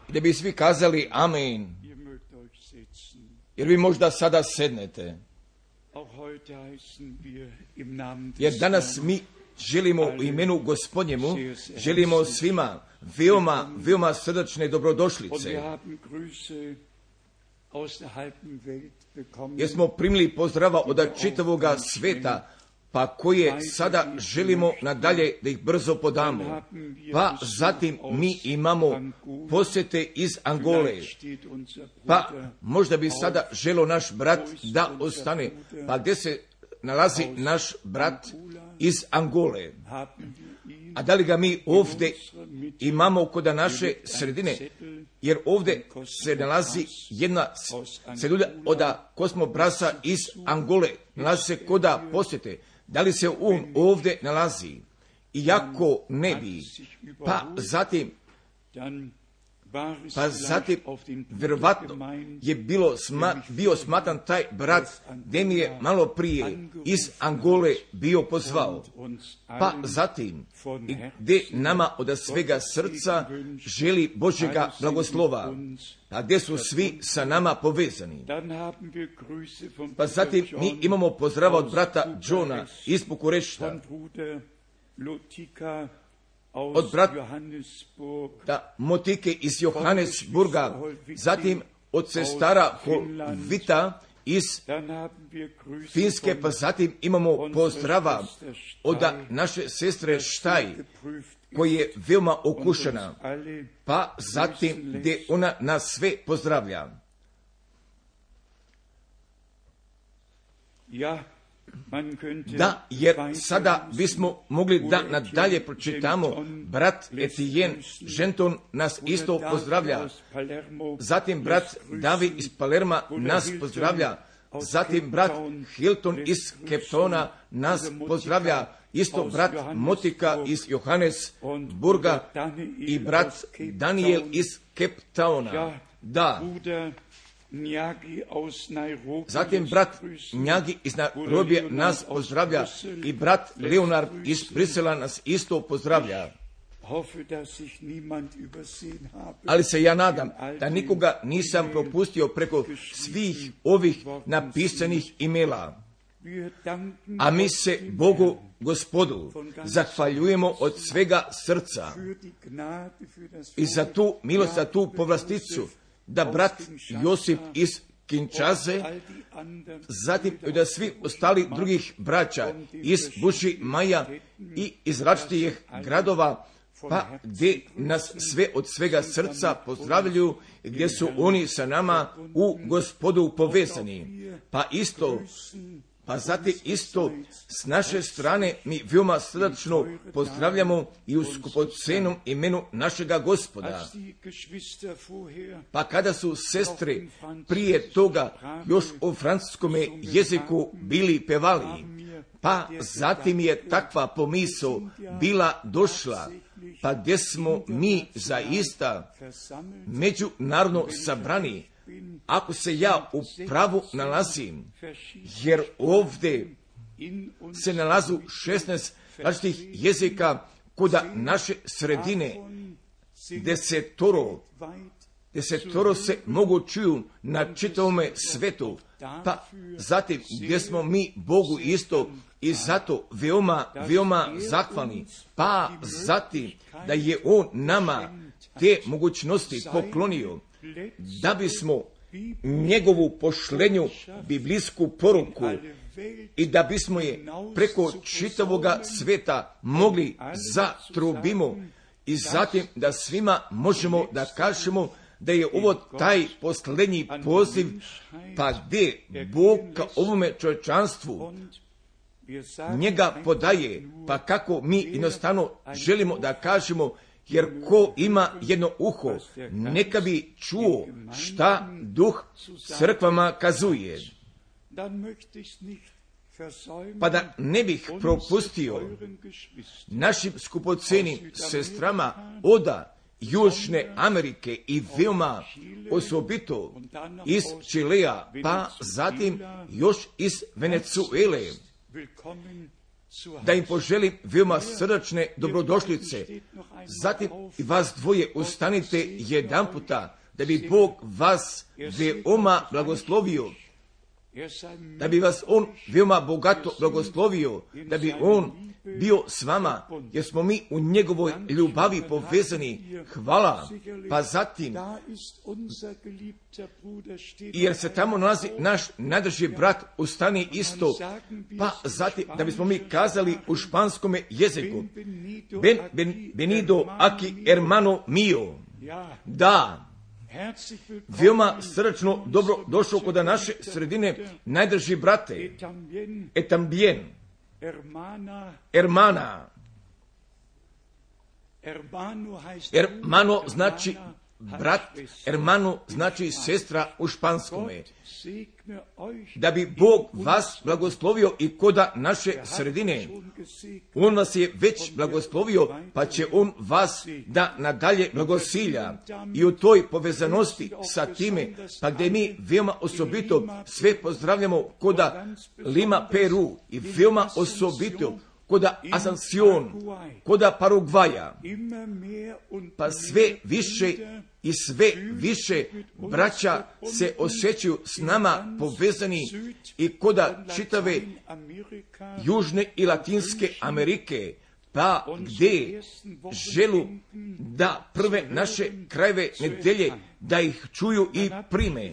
I da bi svi kazali amen. Jer vi možda sada sednete. Jer danas mi želimo u imenu Gospodnjemu, želimo svima veoma srdačne dobrodošlice. Jer smo primili pozdrava od čitavoga sveta, pa koje sada želimo nadalje da ih brzo podamo. Pa zatim mi imamo posjete iz Angole. Pa možda bi sada želio naš brat da ostane. Pa gdje se nalazi naš brat iz Angole? A da li ga mi ovdje imamo kod naše sredine? Jer ovdje se nalazi jedna celulja od Kosmo Brasa iz Angole. Nalazi se koda posjete. Da li se on ovdje nalazi? Iako ne bi. Pa zatim vjerovatno je bio smatran taj brat gdje mi je malo prije iz Angole bio pozvao. Pa zatim gdje nama od svega srca želi Božjega blagoslova, a gdje su svi sa nama povezani. Pa zatim mi imamo pozdrava od brata Johna iz Bukurešta, od brata Motike iz Johannesburga, zatim od sestara Vita iz Finske, pa zatim imamo pozdrava od naše sestre Štaj, koja je veoma okušana, pa zatim gdje ona nas sve pozdravlja. Da, jer sada bismo mogli da nadalje pročitamo. Brat Etienne Ženton nas isto pozdravlja. Zatim brat David iz Palerma nas pozdravlja. Zatim brat Hilton iz Keptona nas pozdravlja. Isto brat Motika iz Johannesburga i brat Daniel iz Keptona. Da. Zatim brat Njagi iz Nairobija nas pozdravlja i brat Leonard iz Brisela nas isto pozdravlja. Ali se ja nadam da nikoga nisam propustio preko svih ovih napisanih imela. A mi se Bogu Gospodu zahvaljujemo od svega srca i za tu milost, za tu povlasticu, da brat Josip iz Kinčaze, zatim da svi ostali drugih braća iz Buši Maja i iz različitih gradova, pa gdje nas sve od svega srca pozdravljaju, gdje su oni sa nama u Gospodu povezani. Pa zatim isto s naše strane mi veoma srdačno pozdravljamo i u skupocenom imenu našega Gospoda. Pa kada su sestre prije toga još o francuskom jeziku bili pevali, pa zatim je takva pomisao bila došla, pa gdje smo mi zaista međunarodno sabrani, ako se ja u pravu nalazim, jer ovdje se nalazu 16 različitih jezika kuda naše sredine, desetoro se mogu čuju na čitavome svetu, pa zatim gdje smo mi Bogu isto i zato veoma zahvalni, pa zatim da je On nama te mogućnosti poklonio, da bismo njegovu pošlenju biblijsku poruku i da bismo je preko čitavoga sveta mogli zatrubimo i zatim da svima možemo da kažemo da je ovo taj posljednji poziv, pa gdje Bog ka ovome čovječanstvu njega podaje, pa kako mi jednostavno želimo da kažemo, jer ko ima jedno uho, neka bi čuo šta Duh crkvama kazuje. Pa da ne bih propustio našim skupocenim sestrama od Južne Amerike i veoma osobito iz Čilea, pa zatim još iz Venezuele. da im poželim veoma srdačne dobrodošlice. Zatim i vas dvoje ustanite jedan puta, da bi Bog vas veoma blagoslovio, da bi vas On veoma bogato blagoslovio, da bi On bio s vama, jer smo mi u njegovoj ljubavi povezani. Hvala. Pa zatim, jer se tamo nalazi naš najdrži brat, ustani isto. Pa zatim, da bismo mi kazali u španskome jeziku, Benvenido aquí hermano mio. Da, veoma srdačno dobro došao kod naše sredine, najdrži brate. Et también, hermana. Hermano znači brat, hermano znači sestra u španskome. Da bi Bog vas blagoslovio i koda naše sredine. On vas je već blagoslovio, pa će On vas da nadalje blagosilja. I u toj povezanosti sa time, pa gdje mi veoma osobito sve pozdravljamo koda Lima, Peru, i veoma osobito koda Asunción, koda Paragvaja, pa sve više i sve više braća se osjećaju s nama povezani i koda čitave Južne i Latinske Amerike, pa gdje želu da prve naše krajeve nedelje da ih čuju i prime.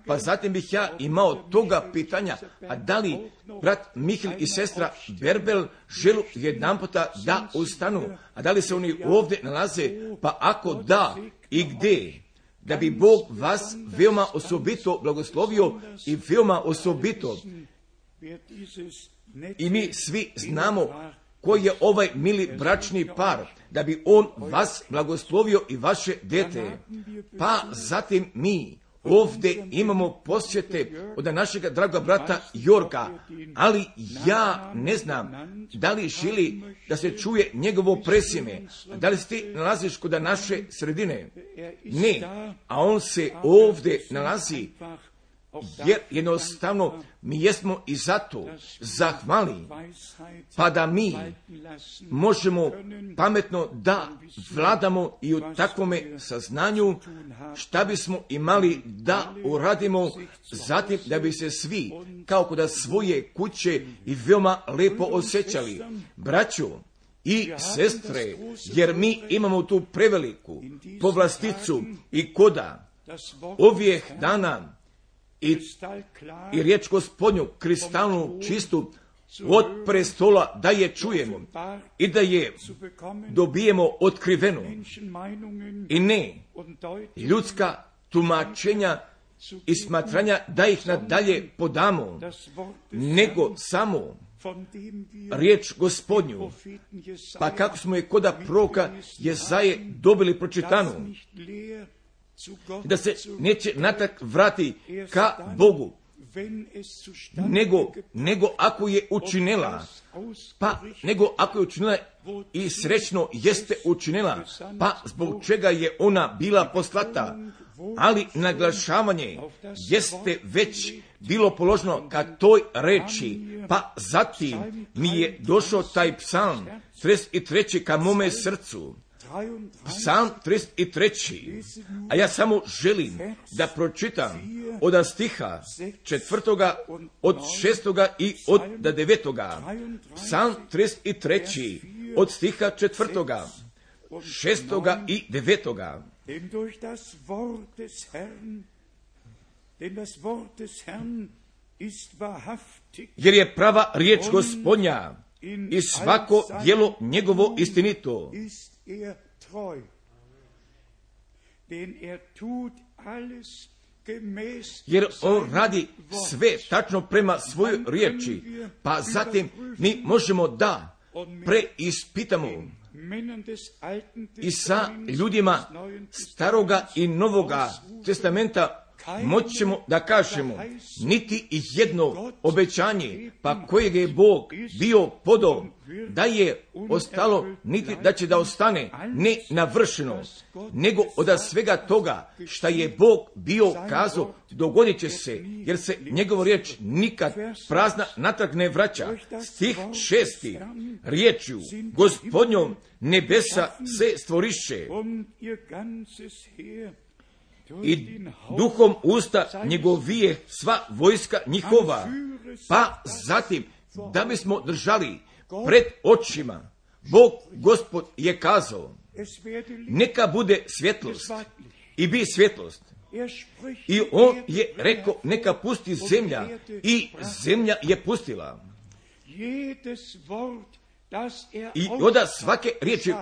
Pa zatim bih ja imao toga pitanja, a da li brat Mihil i sestra Berbel želu jedan puta da ustanu, a da li se oni ovdje nalaze, pa ako da i gdje, da bi Bog vas veoma osobito blagoslovio i veoma osobito. I mi svi znamo koji je ovaj mili bračni par, da bi On vas blagoslovio i vaše dete. Pa zatim mi ovdje imamo posjete od našega draga brata Jorga, ali ja ne znam da li želi da se čuje njegovo presime, da li se ti nalaziš kod naše sredine. Ne, a on se ovdje nalazi, jer jednostavno mi jesmo i zato zahvali, pa da mi možemo pametno da vladamo i u takvome saznanju šta bismo imali da uradimo, zatim da bi se svi kao kod svoje kuće i veoma lepo osjećali. Braćo i sestre, jer mi imamo tu preveliku povlasticu i koda ovih dana i riječ Gospodnju kristalnu čistu od prestola da je čujemo i da je dobijemo otkrivenu i ne ljudska tumačenja i smatranja da ih nadalje podamo, nego samo riječ Gospodnju, pa kako smo je koda proroka Jezaje dobili pročitanu, da se neće natrag vrati ka Bogu, nego ako je učinila, nego ako je učinila i srećno jeste učinila, pa zbog čega je ona bila poslata, ali naglašavanje jeste već bilo položeno ka toj reči, pa zatim mi je došao taj psalm 33. ka mome srcu. Psalm 33. A ja samo želim da pročitam od stiha 4. od 6. i od 9. Psalm 33. od stiha 4. 6. i 9. Jer je prava riječ Gospodnja i svako djelo njegovo istinito. Jer on radi sve tačno prema svojoj riječi, pa zatim mi možemo da preispitamo i sa ljudima Staroga i Novoga testamenta moćemo da kažemo niti jedno obećanje, pa kojeg je Bog bio podao, da je ostalo, niti da će da ostane ne navršeno, nego od svega toga šta je Bog bio kazao, dogodit će se, jer se njegova riječ nikad prazna natrag ne vraća. Stih 6. Riječju Gospodnjom nebesa se stvoriše i duhom usta njegovije sva vojska njihova. Pa zatim, da bismo držali pred očima, Bog Gospod je kazao, neka bude svjetlost i bi svjetlost. I on je rekao, neka pusti zemlja, i zemlja je pustila. I od svake riječi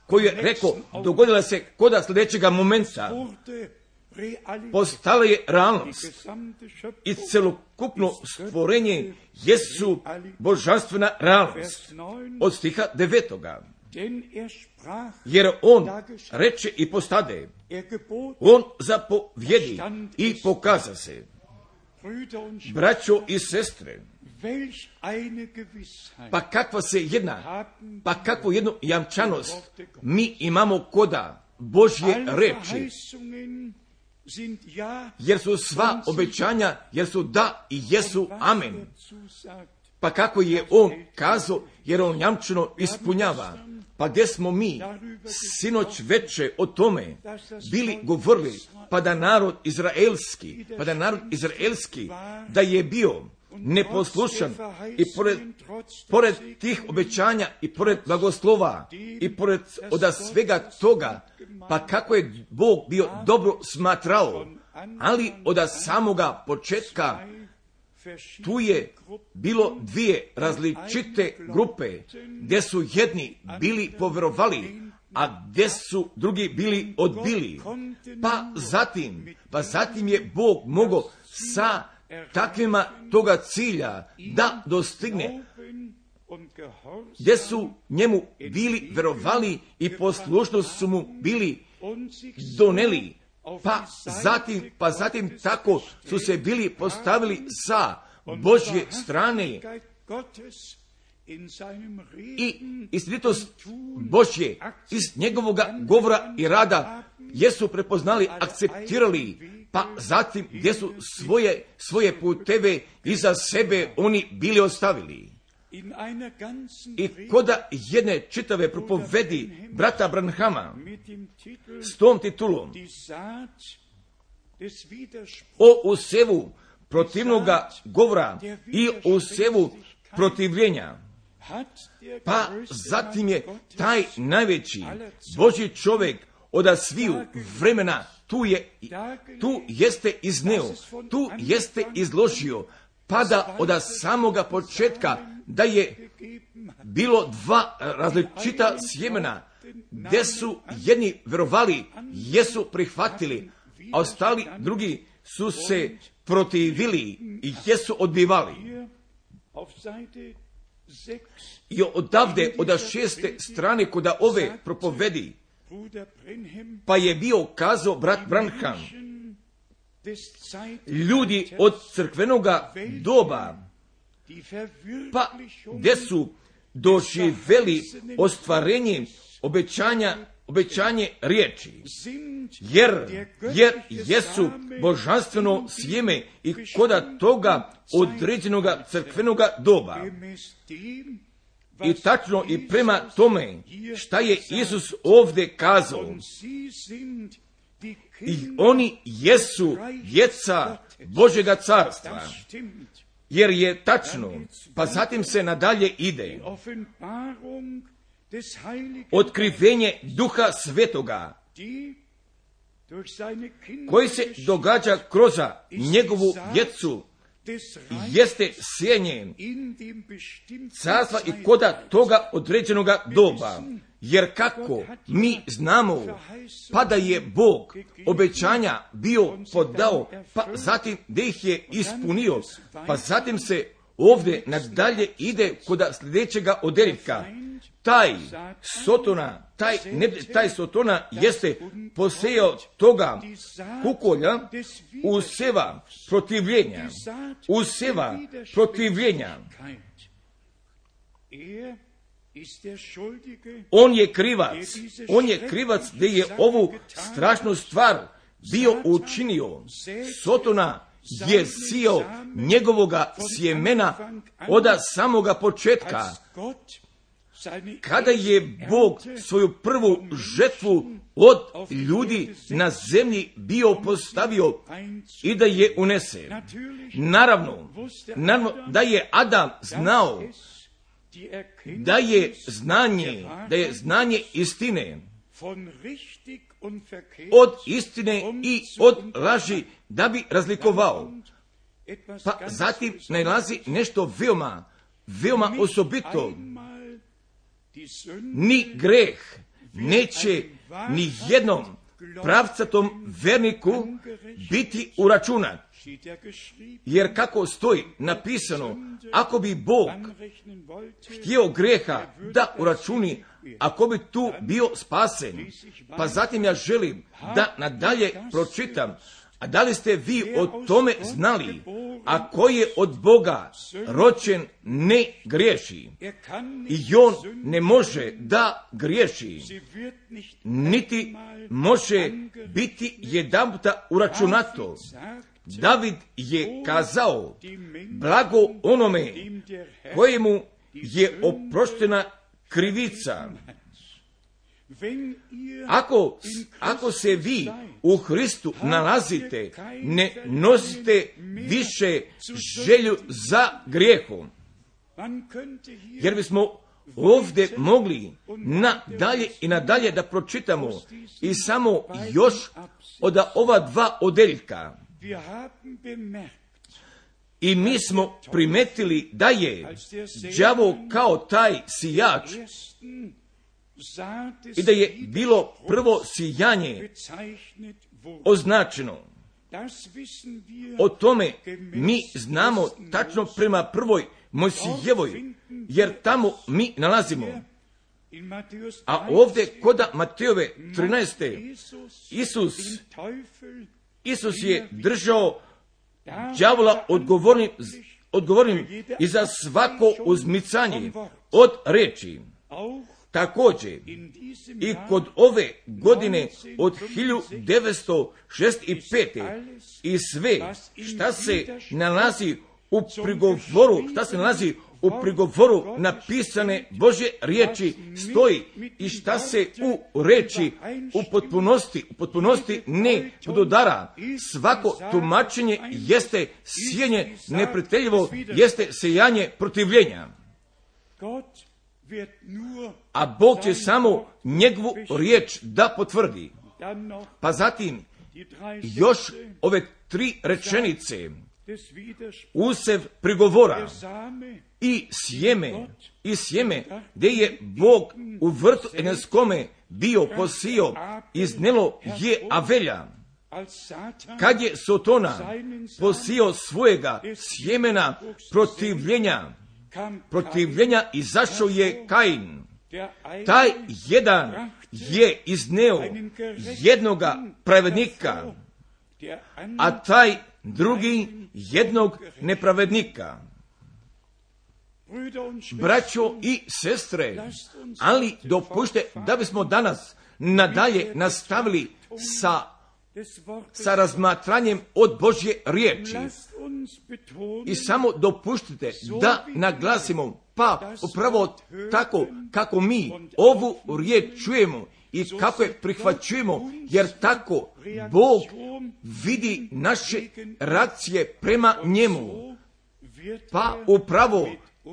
koju je rekao, dogodila se kod sljedećega momenta, postala je realnost i celokupno stvorenje jesu božanstvena realnost. Od stiha 9. Jer on reče i postade, on zapovjedi i pokaza se. Braćo i sestre, pa kakva se jedna, pa kakvu jednu jamčanost mi imamo koda Božje reči, jer su sva obećanja, jer su da i jesu amen. Pa kako je on kazao, jer on jamčeno ispunjava. Pa gdje smo mi sinoć veče o tome bili govorili, pa da narod izraelski, da je bio neposlušan i pored tih obećanja i pored blagoslova i pored od svega toga, pa kako je Bog bio dobro smatrao, ali od samoga početka tu je bilo dvije različite grupe, gdje su jedni bili povjerovali, a gdje su drugi bili odbili. Pa zatim je Bog mogao sa takvima toga cilja da dostigne, gdje su njemu bili verovali i poslušnost su mu bili doneli. Pa zatim tako su se bili postavili sa Božje strane i istinitost Božje iz njegovoga govora i rada jesu prepoznali, akceptirali, pa zatim gdje su svoje puteve iza sebe oni bili ostavili. I koda jedne čitave propovedi brata Branhama s tom titulom o usevu protivnoga govora i usevu protivljenja, pa zatim je taj najveći Božji čovjek od sviju vremena tu jeste izneo, tu jeste izložio, pa da od samoga početka da je bilo dva različita sjemena, gdje su jedni verovali, jesu prihvatili, a ostali drugi su se protivili i jesu odbivali. I odavde od 6. strane kod ove propovedi, pa je bio kazao brat Branham, ljudi od crkvenoga doba, pa gdje su doživjeli ostvarenje obećanje riječi, jer jesu božanstveno sjeme i koda toga određenoga crkvenoga doba. I tačno i prema tome šta je Isus ovdje kazao, i oni jesu djeca Božjega carstva, jer je tačno, pa zatim se nadalje ide. Otkrivenje Duha Svetoga, koji se događa kroz njegovu djecu, jeste sjenje carstva i koda toga određenoga doba. Jer kako mi znamo, pa da je Bog obećanja bio podao, pa zatim da ih je ispunio, pa zatim se ovdje nadalje ide kod sljedećega odjeljka, taj Sotona jeste posejao toga kukolja, useva protivljenja. On je krivac da je ovu strašnu stvar bio učinio. Sotona je sijao njegovoga sjemena od samoga početka. Kada je Bog svoju prvu žetvu od ljudi na zemlji bio postavio i da je unese. Naravno da je Adam znao da je znanje istine od istine i od laži da bi razlikovao. Pa zatim nalazi nešto veoma osobito. Ni greh neće ni jednom pravcatom verniku biti uračunat. Jer kako stoji napisano, ako bi Bog htio greha da uračuni, ako bi tu bio spasen. Pa zatim ja želim da nadalje pročitam. A da li ste vi o tome znali? Ako je od Boga rođen, ne griješi. I on ne može da griješi, niti može biti jedanputa uračunato. David je kazao, blago onome kojemu je oproštena krivica. Ako se vi u Hristu nalazite, ne nosite više želju za grijehom. Jer bismo ovdje mogli nadalje i nadalje da pročitamo i samo još od ova dva odeljka. I mi smo primetili da je đavo kao taj sijač i da je bilo prvo sijanje označeno. O tome mi znamo tačno prema prvoj Mojsijevoj, jer tamo mi nalazimo. A ovdje kod Matejove 13. Isus je držao đavola odgovornim i za svako uzmicanje od reči. Također i kod ove godine od 1965. i sve šta se nalazi u prigovoru napisane Božje riječi stoji i šta se u reči u potpunosti ne dodara. Svako tumačenje jeste sijenje neprijateljivo, jeste sejanje protivljenja. A Bog će samo njegovu riječ da potvrdi. Pa zatim još ove tri rečenice, usev prigovora i sjeme gdje je Bog u vrtu Edenskome bio posio, iznelo je Avelja. Kad je Sotona posio svojega sjemena protivljenja, izašao je Kain. Taj jedan je izneo jednoga pravednika, a taj drugi jednog nepravednika. Braćo i sestre, ali dopustite da bismo danas nadalje nastavili sa razmatranjem od Božje riječi. I samo dopustite da naglasimo, pa upravo tako kako mi ovu riječ čujemo i kako je prihvaćujemo, jer tako Bog vidi naše reakcije prema njemu. Pa upravo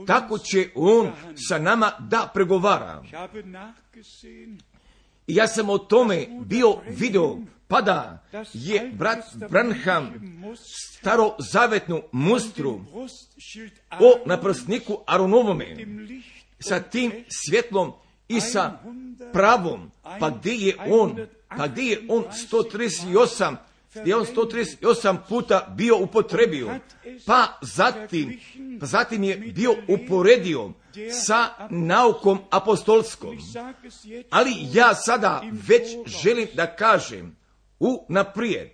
tako će on sa nama da pregovara. I ja sam o tome bio video, pa da je brat Branham starozavetnu mustru o naprsniku Aronovome sa tim svjetlom i sa pravom, pa gdje je on 138 gdje on 138 puta bio upotrebio, pa zatim je bio uporedio sa naukom apostolskom. Ali ja sada već želim da kažem unaprijed,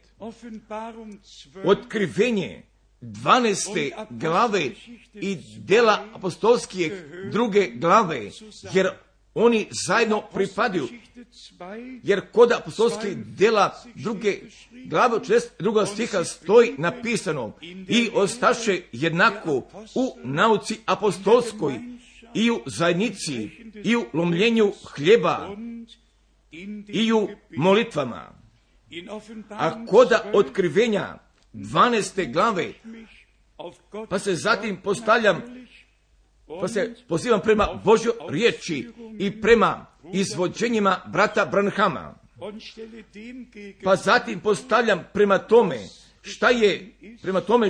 Otkrivenje 12. glave i dela apostolskih 2. glave, jer oni zajedno pripadaju. Jer kod apostolskih dela 2. glave 42. stiha stoji napisano: i ostaše jednako u nauci apostolskoj i u zajednici i u lomljenju hljeba i u molitvama. A koda Otkrivenja 12. glave, pa se zatim pa se pozivam prema Božjoj riječi i prema izvođenjima brata Branhama. Pa zatim postavljam prema tome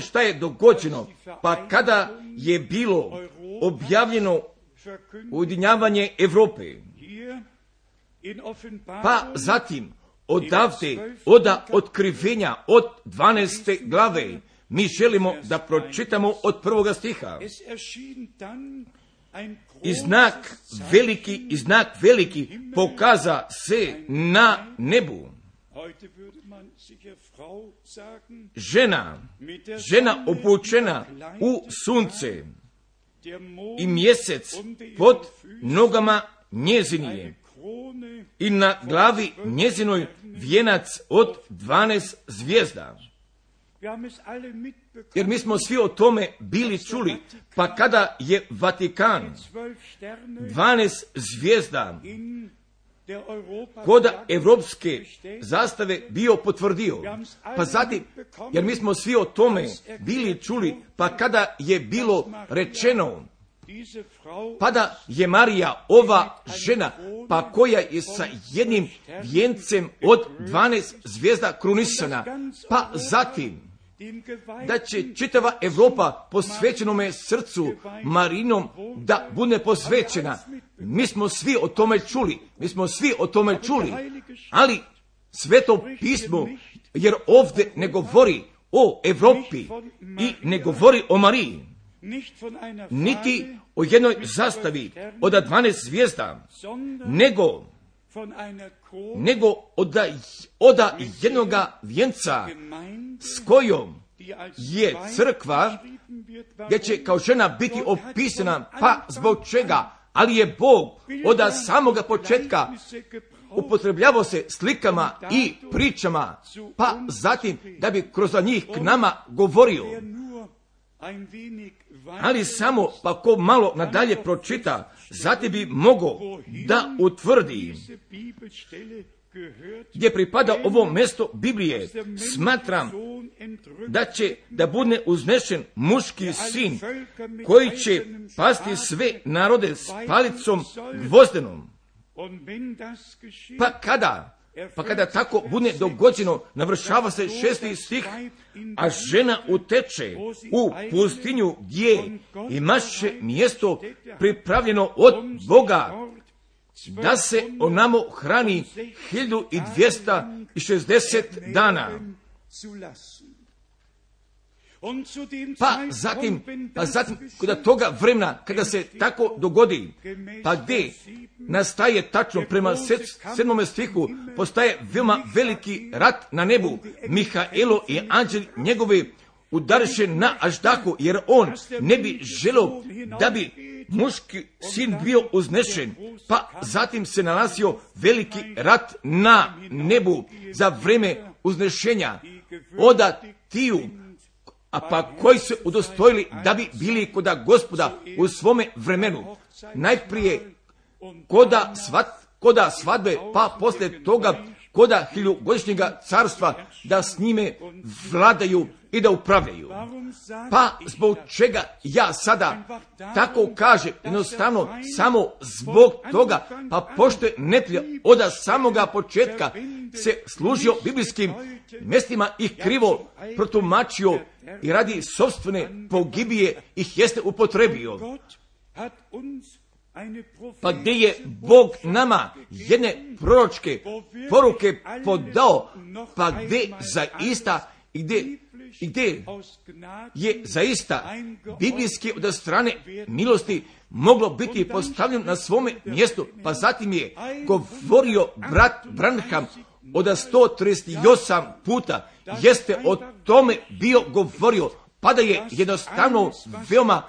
šta je dogođeno, pa kada je bilo objavljeno ujedinjavanje Europe. Pa zatim odavde, od Otkrivenja, od 12. glave, mi želimo da pročitamo od 1. stiha. I znak veliki pokaza se na nebu. Žena obučena u sunce i mjesec pod nogama njezinije i na glavi njezinoj vijenac od 12 zvijezda. Jer mi smo svi o tome bili čuli, pa kada je Vatikan 12 zvijezda kod evropske zastave bio potvrdio, pa zatim, jer mi smo svi o tome bili čuli, pa kada je bilo rečeno, pa da je Marija ova žena, pa koja je sa jednim vijencem od 12 zvijezda krunisana, pa zatim da će čitava Europa posvećenome srcu Marinom da bude posvećena. Mi smo svi o tome čuli, ali Sveto pismo, jer ovdje ne govori o Europi i ne govori o Mariji, niti o jednoj zastavi od 12 zvijezda, nego od jednoga vijenca s kojom je crkva, gdje će kao žena biti opisana, pa zbog čega, ali je Bog od samoga početka upotrebljavao se slikama i pričama, pa zatim da bi kroz njih k nama govorio. Ali samo pa ko malo nadalje pročita, zatim bi mogao da utvrdi gdje pripada ovo mjesto Biblije. Smatram da će da bude uznešen muški sin koji će pasti sve narode s palicom gvozdenom. Pa kada tako bude dogođeno, navršava se 6. stih, a žena uteče u pustinju gdje imaše mjesto pripravljeno od Boga, da se onamo hrani 1260 dana. Pa zatim, kod toga vremena, kada se tako dogodi, pa gdje nastaje tačno prema 7. stihu, postaje veoma veliki rat na nebu. Mihaelo i anđeli njegovi udariše na aždahu, jer on ne bi želio da bi muški sin bio uznešen. Pa zatim se nalazio veliki rat na nebu za vreme uznešenja od tiju, a pa koji se udostojili da bi bili koda Gospoda u svome vremenu. Najprije koda svadbe, pa poslije toga koda 1000-godišnjega carstva, da s njime vladaju i da upravljaju. Pa zbog čega ja sada tako kažem, jednostavno samo zbog toga, pa pošto je neprijatelj od samoga početka se služio biblijskim mjestima i krivo protumačio i radi sopstvene pogibije ih jeste upotrebio. pa gdje je Bog nama jedne proročke poruke podao, pa gdje zaista gdje je zaista biblijski od strane milosti moglo biti postavljeno na svome mjestu, pa zatim je govorio brat Branham od 138 puta, jeste o tome bio govorio, pa da je jednostavno veoma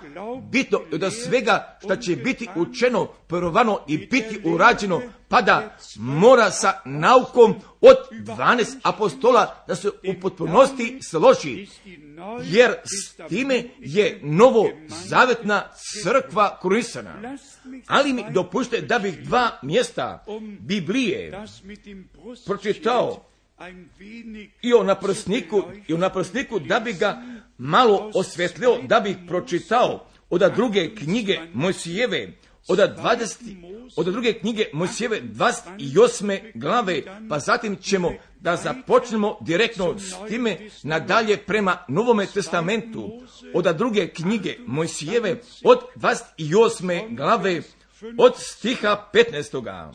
bitno od svega što će biti učeno, provano i biti urađeno, pa da mora sa naukom od 12 apostola da se u potpunosti složi, jer s time je novo zavetna crkva krunisana. Ali mi dopušte da bih dva mjesta Biblije pročitao i o naprsniku da bi ga malo osvjetlio, da bih pročitao od druge knjige Mojsijeve, od druge knjige Mojsijeve 28. glave, pa zatim ćemo da započnemo direktno s time nadalje prema Novome testamentu, od druge knjige Mojsijeve od 28. glave od stiha 15.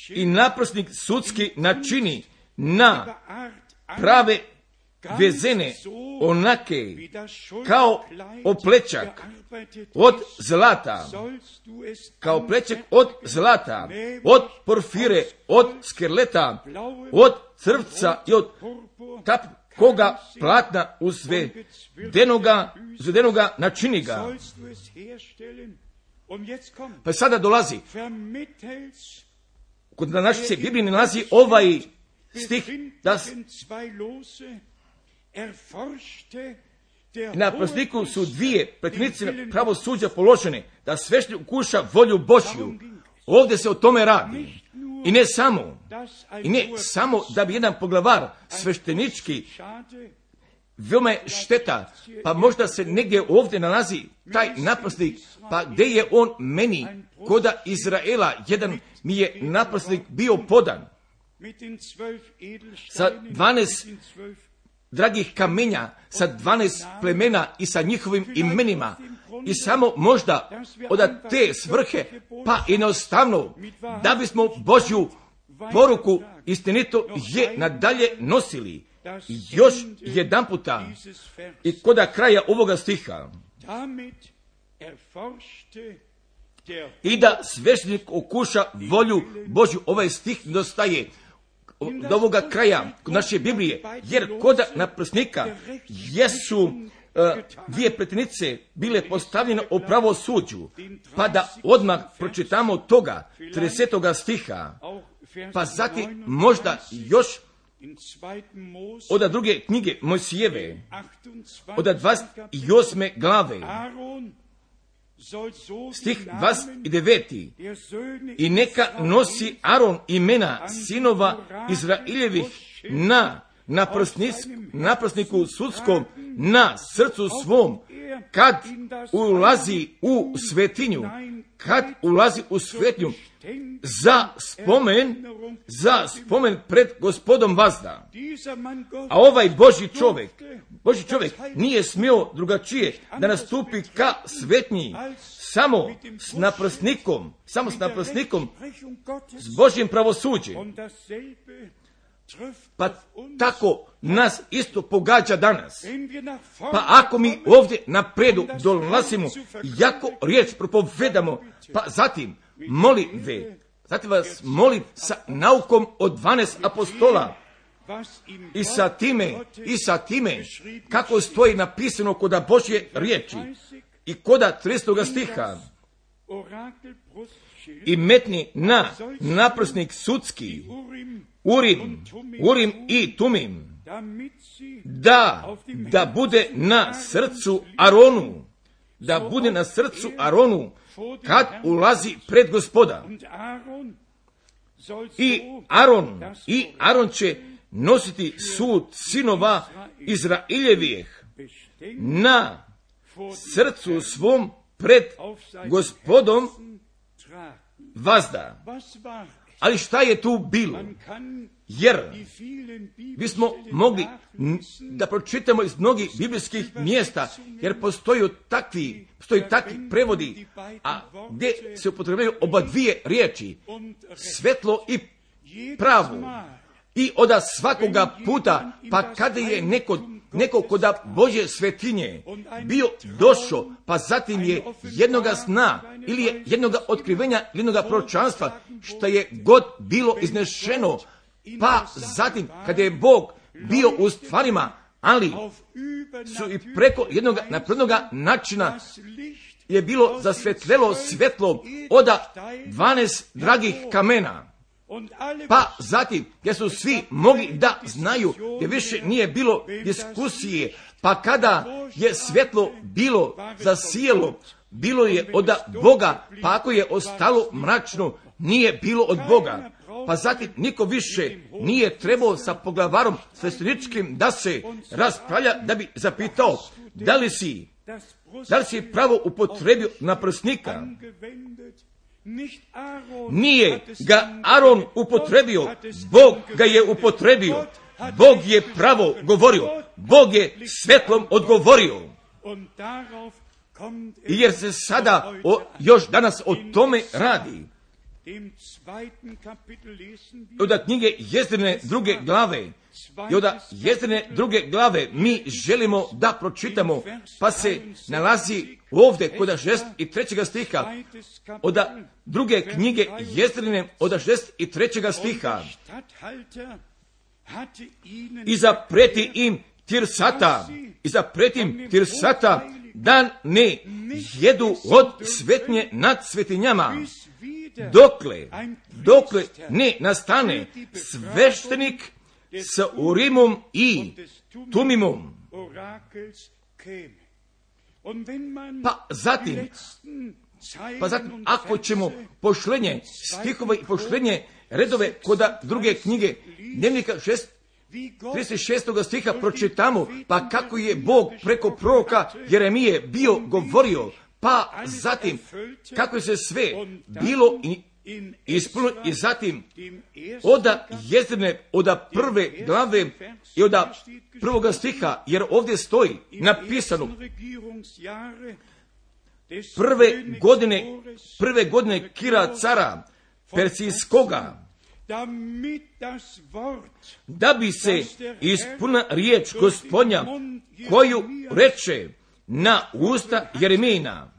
I naprsnik sudski načini na prave vezene onake kao oplečak od zlata, od porfire, od skerleta, od crvca i od koga platna uzvedenoga načini ga. Pa sada dolazi, kod naših se Bibliji nalazi ovaj stih, da na prsniku su dvije pretinice pravosuđa položene, da sveštenik ukuša volju Božju. Ovdje se o tome radi. I ne samo da bi jedan poglavar sveštenički, veoma je šteta, pa možda se negdje ovdje nalazi taj naprsnik, pa gdje je on meni, koda Izraela, jedan mi je naprsnik bio podan sa 12 dragih kamenja, sa 12 plemena i sa njihovim imenima. I samo možda od te svrhe, pa jednostavno, da bismo Božju poruku istinito je nadalje nosili. Još jedan puta i koda kraja ovoga stiha, i da sveštenik okuša volju Božju. Ovaj stih dostaje do ovoga kraja kod naše Biblije, jer koda na prsnika jesu dvije pretinice bile postavljene u pravosuđu, pa da odmah pročitamo toga 30. stiha, pa zatim možda još od druge knjige Mojsijeve, od 28. glave, stih 29. I neka nosi Aron imena sinova Izraeljevih na prsniku sudskom, na srcu svom, kad ulazi u svetinju, za spomen pred Gospodom vazda. A ovaj Božji čovjek nije smio drugačije da nastupi ka svetnji, samo s naprsnikom, s Božjim pravosuđem. Pa tako nas isto pogađa danas. Pa ako mi ovdje napredu dolazimo, jako riječ propovedamo, pa zatim vas molim sa naukom od 12 apostola i sa time kako stoji napisano koda Božje riječi i koda 30. stiha, i metni na naprsnik sudski Urim i Tumim, da bude na srcu Aronu, kad ulazi pred Gospoda. I Aron će nositi sud sinova Izraeljevih na srcu svom pred Gospodom vazda. Ali šta je tu bilo? Jer bismo mogli da pročitamo iz mnogih biblijskih mjesta, jer postoji takvi prevodi, a gdje se upotrebljaju oba dvije riječi, svetlo i pravu. I od svakoga puta, pa kada je neko koda Božje svetinje bio došao, pa zatim je jednoga sna ili je jednoga otkrivenja, jednoga proročanstva, što je god bilo iznešeno, pa zatim kada je Bog bio u stvarima, ali su i preko jednoga naprednoga načina je bilo zasvetlelo svjetlo od 12 dragih kamena. Pa zatim, gdje su svi mogli da znaju, gdje više nije bilo diskusije, pa kada je svjetlo bilo zasijelo, bilo je od Boga, pa ako je ostalo mračno, nije bilo od Boga. Pa zatim niko više nije trebao sa poglavarom svešteničkim da se raspravlja, da bi zapitao da li si pravo upotrebio naprsnika. Nije ga Aron upotrebio, Bog ga je upotrebio. Bog je pravo govorio, Bog je svjetlom odgovorio. I jer se sada još danas o tome radi. Od knjige Jezdrine 2. glave i od Jezdrine 2. glave mi želimo da pročitamo, pa se nalazi ovdje kod 63. stiha, od druge knjige Jezdrine od 63. stiha. I zapreti im Tirsata, da ne jedu od svetnje nad svetinjama, dokle ne nastane sveštenik s Urimom i Tumimom. Pa zatim, ako ćemo pošlenje stihova i pošlenje redove kod druge knjige Dnevnika 36. stiha pročitamo, pa kako je Bog preko proroka Jeremije bio govorio, pa zatim kako se sve bilo ispunilo, i zatim od Jezdrine, od 1. glave i od 1. stiha, jer ovdje stoji napisano prve godine Kira cara Persijskoga, da bi se ispunila riječ Gospodnja koju reče na usta Jeremijina.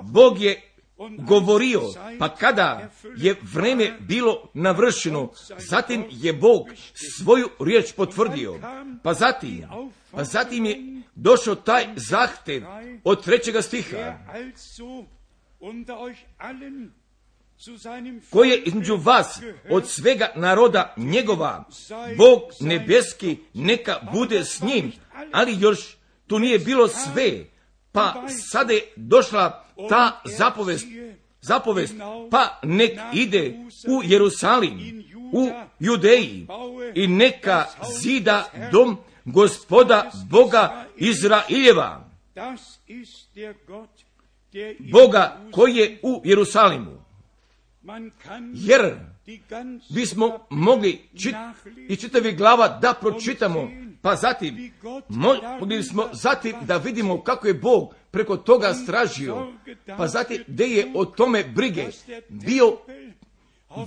Bog je govorio, pa kada je vreme bilo navršeno, zatim je Bog svoju riječ potvrdio. Pa zatim je došao taj zahtev od 3. stiha, koji je između vas od svega naroda njegova, Bog nebeski neka bude s njim, ali još tu nije bilo sve. Pa sada je došla ta zapovest, pa nek ide u Jerusalim, u Judeji, i neka zida dom Gospoda Boga Izraeljeva, Boga koji je u Jerusalimu. Jer bismo mogli i čitavi glava da pročitamo, pa zatim mogli smo da vidimo kako je Bog preko toga stražio, pa zatim gdje je o tome brige bio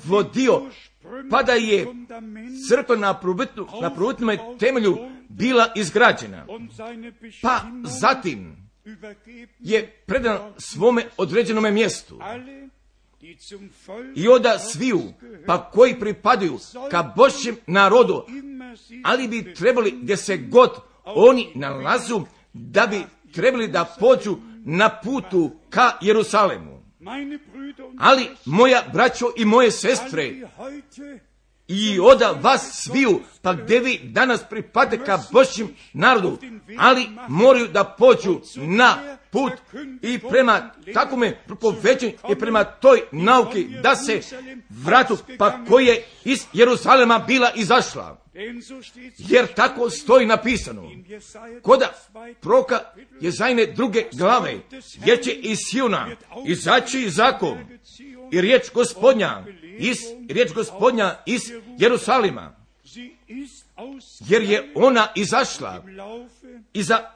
vodio, pa da je crkva na prvobitnom temelju bila izgrađena, pa zatim je predan svome određenome mjestu. I onda sviju, pa koji pripadaju ka Božjem narodu, ali bi trebali gdje se god oni nalazu, da bi trebali da pođu na putu ka Jerusalemu. Ali moja braćo i moje sestre, i oda vas sviju, pa gdje vi danas pripadate ka Božjem narodu, ali moraju da pođu na put i prema takvome propoveđenju i prema toj nauki da se vratu, pa koje iz Jeruzalema bila izašla. Jer tako stoji napisano kod proroka Jezajine 2. glave, jer će iz Siona izaći zakon i riječ Gospodnja iz Jerusalima, jer je ona izašla iza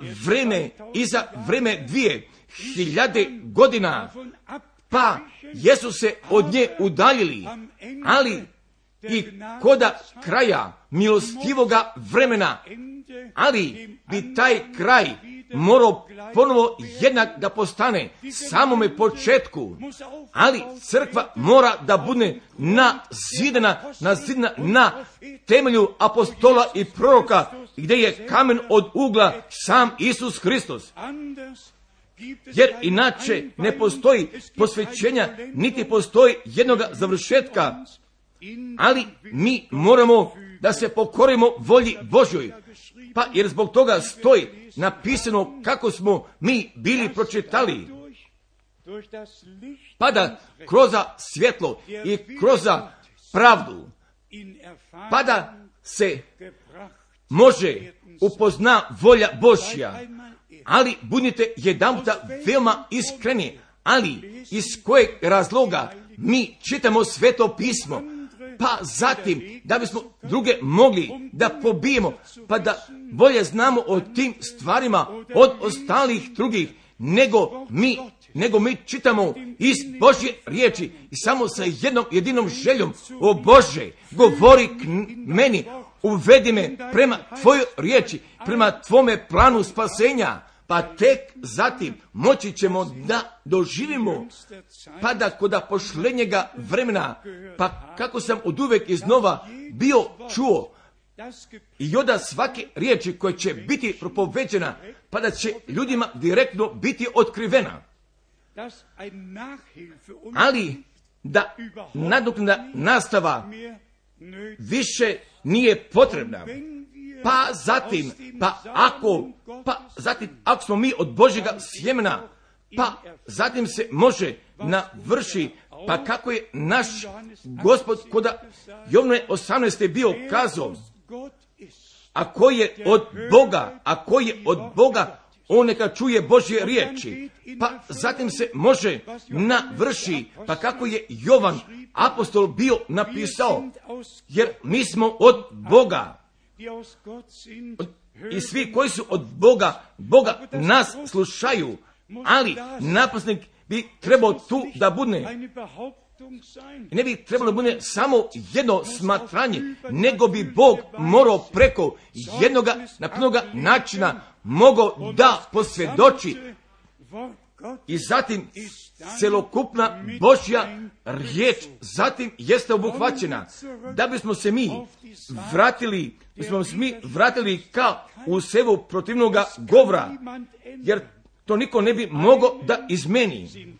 vreme 2000 godina, pa jesu se od nje udaljili, ali i koda kraja milostivoga vremena, ali bi taj kraj morao ponovo jednak da postane samome početku, ali crkva mora da bude nazidana na temelju apostola i proroka, gdje je kamen od ugla sam Isus Hristos. Jer inače ne postoji posvećenja, niti postoji jednoga završetka, ali mi moramo da se pokorimo volji Božjoj, pa jer zbog toga stoji napisano kako smo mi bili pročitali, pa da kroz svjetlo i kroz pravdu, pa da se može upozna volja Božja, ali budite jedanputa veoma iskreni, ali iz kojeg razloga mi čitamo Sveto pismo, pa zatim da bismo druge mogli da pobijemo, pa da bolje znamo o tim stvarima od ostalih drugih, nego mi čitamo iz Božje riječi i samo sa jednom jedinom željom: o Bože, govori k meni, uvedi me prema tvojoj riječi, prema tvome planu spasenja, pa tek zatim moći ćemo da doživimo, pa da kod pošlenjega vremena, pa kako sam oduvek iznova bio čuo i oda svake riječi koja će biti propoveđena, pa da će ljudima direktno biti otkrivena, ali da nadoknadna nastava više nije potrebna. Pa zatim ako smo mi od Božjega sjemena, pa zatim se može navrši, pa kako je naš Gospod kod Jovne 18. bio kazao: ako je od Boga, on neka čuje Božje riječi. Pa zatim se može navrši, pa kako je Jovan apostol bio napisao, jer mi smo od Boga. I svi koji su od Boga nas slušaju, ali napasnik bi trebao tu da bude. Ne bi trebalo da bude samo jedno smatranje, nego bi Bog morao preko jednoga naprednoga načina mogao da posvjedoči. I zatim celokupna Božja riječ zatim jeste obuhvaćena, da bismo se mi vratili ka u sebu protivnoga govora, jer to niko ne bi mogao da izmeni,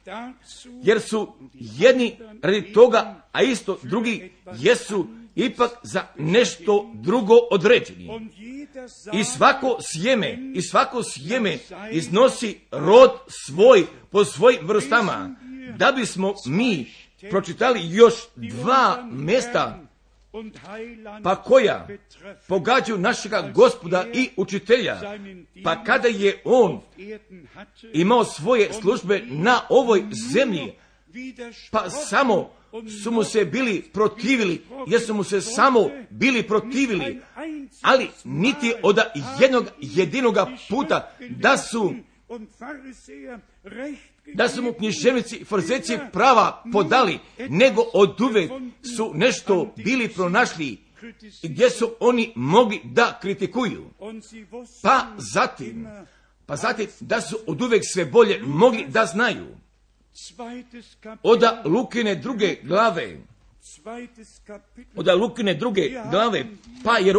jer su jedni radi toga, a isto drugi jesu ipak za nešto drugo određeni. I svako sjeme iznosi rod svoj po svojim vrstama. Da bismo mi pročitali još 2 mjesta, pa koja pogađaju našega Gospoda i učitelja, pa kada je on imao svoje službe na ovoj zemlji, pa samo su mu se bili protivili, jer su mu se samo bili protivili, ali niti od jednog jedinoga puta da su mu književnici i farizejci prava podali, nego oduvek su nešto bili pronašli gdje su oni mogli da kritikuju. Pa zatim da su oduvek sve bolje mogli da znaju. Od Lukine druge glave, pa jer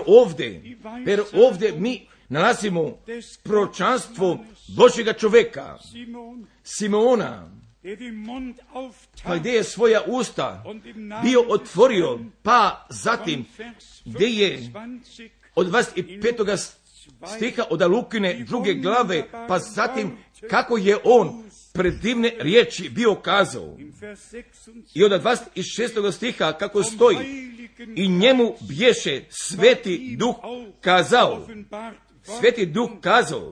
ovdje mi nalazimo proročanstvo Božjega čoveka, Simeona, pa gdje je svoja usta bio otvorio, pa zatim gdje je od 25. stiha od Lukine 2. glave, pa zatim kako je on predivne riječi bio kazao. I od 26. stiha kako stoji, i njemu bješe Sveti Duh kazao. Sveti Duh kazao.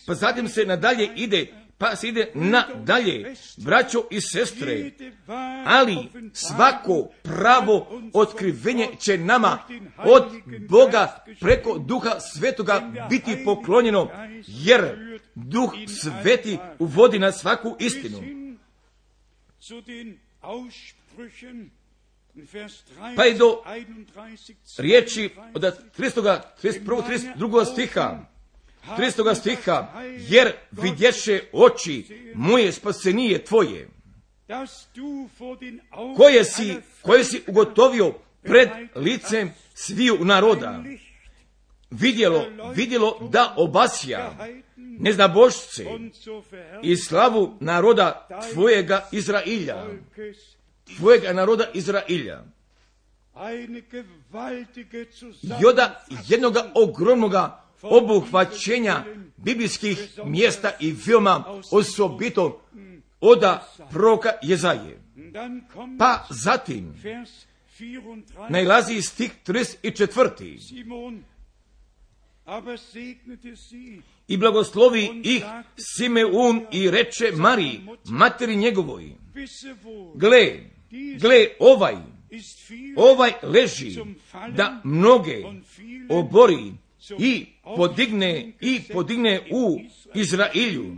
Pa zatim se nadalje ide, pa se ide nadalje, braćo i sestre, ali svako pravo otkrivenje će nama od Boga preko Duha Svetoga biti poklonjeno, jer Duh Sveti uvodi na svaku istinu. Pa i do riječi od 32. stiha, 30. stiha, jer vidješe oči moje spasenije tvoje, koje si ugotovio pred licem sviju naroda, vidjelo da obasja neznabošce i slavu naroda tvojega Izrailja. Tvojega naroda Izrailja. I od jednoga ogromnoga obuhvaćenja biblijskih mjesta i veoma osobito od proroka Jezaje. Pa zatim najlazi stih 34. I blagoslovi ih Simeun i reče Mariji, materi njegovoj, gle, ovaj leži da mnoge obori i podigne u Izraelju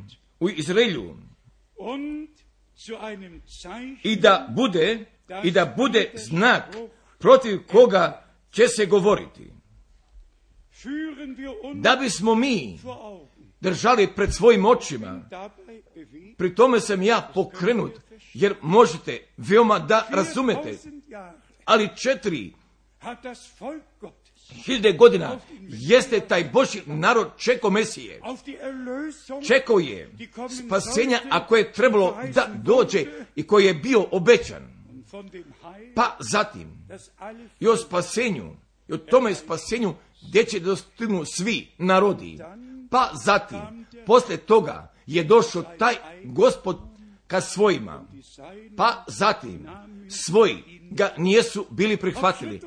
i da bude znak protiv koga će se govoriti. Da bismo mi držali pred svojim očima, pri tome sam ja pokrenut, jer možete veoma da razumete, ali 4.000 godina jeste taj Božji narod čekao Mesije. Čekao je spasenja, a koje je trebalo da dođe i koji je bio obećan. Pa zatim i o spasenju, i o tome spasenju gdje će dostignu svi narodi. Pa zatim, posle toga je došao taj Gospod ka svojima. Pa zatim, svoji ga nijesu bili prihvatili.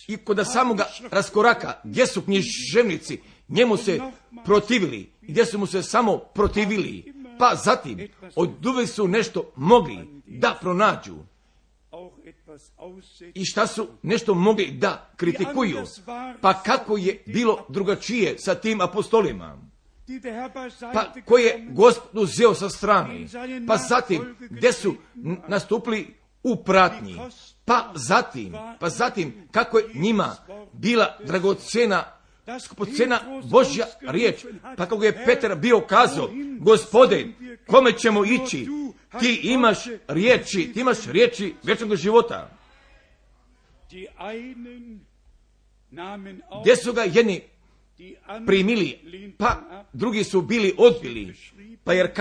I kod samoga raskoraka, gdje su književnici njemu se protivili, gdje su mu se samo protivili. Pa zatim, od uvijek su nešto mogli da pronađu. I šta su nešto mogli da kritikuju. Pa kako je bilo drugačije sa tim apostolima? Pa koje je Gospod uzeo sa strane? Pa zatim, gdje su nastupili u pratnji? Pa zatim, kako je njima bila dragocena, skupocena Božja riječ? Pa kako je Petar bio kazao, Gospode, kome ćemo ići? Ti imaš riječi vječnog života. Gdje su ga jedni primili, pa drugi su bili odbili. Pa jer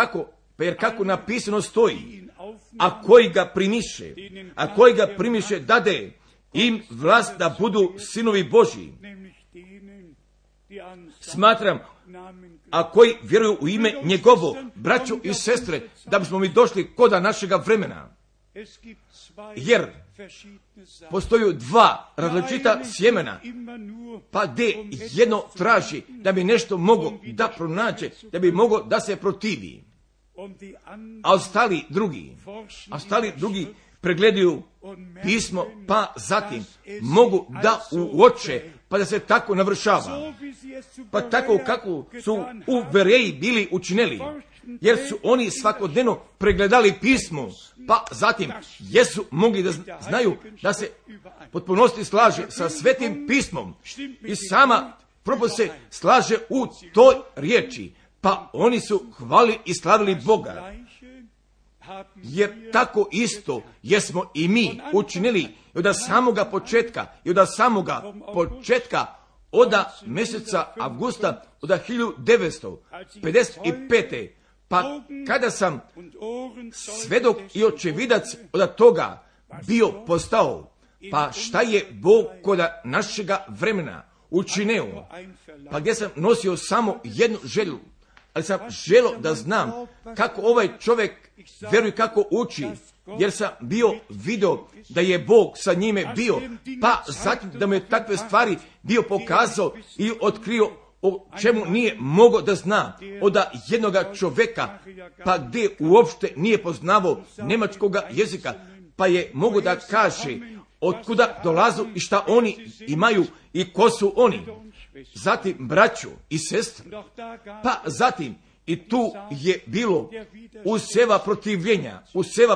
kako napisano stoji, a koji ga primiše dade im vlast da budu sinovi Božji. Smatram, a koji vjeruju u ime njegovo, braćo i sestre, da bismo mi došli koda našega vremena. Jer postoju dva različita sjemena, pa gdje jedno traži da bi nešto mogo da pronađe, da bi mogo da se protivi. A ostali drugi pregledaju pismo, pa zatim mogu da uoče, pa da se tako navršava. Pa tako kako su u Bereji bili učinili, jer su oni svakodnevno pregledali pismo, pa zatim jesu mogli da znaju da se potpunosti slaže sa svetim pismom i sama propos se slaže u toj riječi, pa oni su hvalili i slavili Boga. Jer tako isto jesmo i mi učinili i od samoga početka od mjeseca avgusta od 1955. Pa kada sam svedok i očevidac od toga bio postao. Pa šta je Bog kod našega vremena učinio? Pa gdje sam nosio samo jednu želju, ali sam želio da znam kako ovaj čovjek vjeruje, kako uči, jer sam bio vidio da je Bog sa njime bio, pa zatim da mu je takve stvari bio pokazao i otkrio o čemu nije mogao da zna od jednoga čovjeka, pa gdje uopšte nije poznavao njemačkoga jezika, pa je mogu da kaže otkuda dolazu i šta oni imaju i ko su oni. Zatim braćo i sestre, pa zatim i tu je bilo useva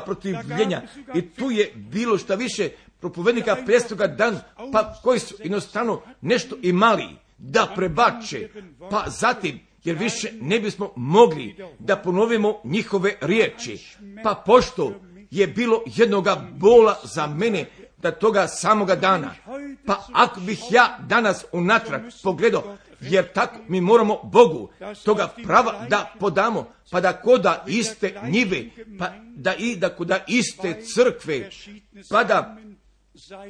protivljenja i tu je bilo šta više propovednika prestoga dan, pa koji su jednostavno nešto imali da prebače, pa zatim jer više ne bismo mogli da ponovimo njihove riječi, pa pošto je bilo jednoga bola za mene da toga samoga dana, pa ako bih ja danas unatrag pogledao, jer tako mi moramo Bogu toga prava da podamo, pa da koda iste njive, pa da koda iste crkve, pa da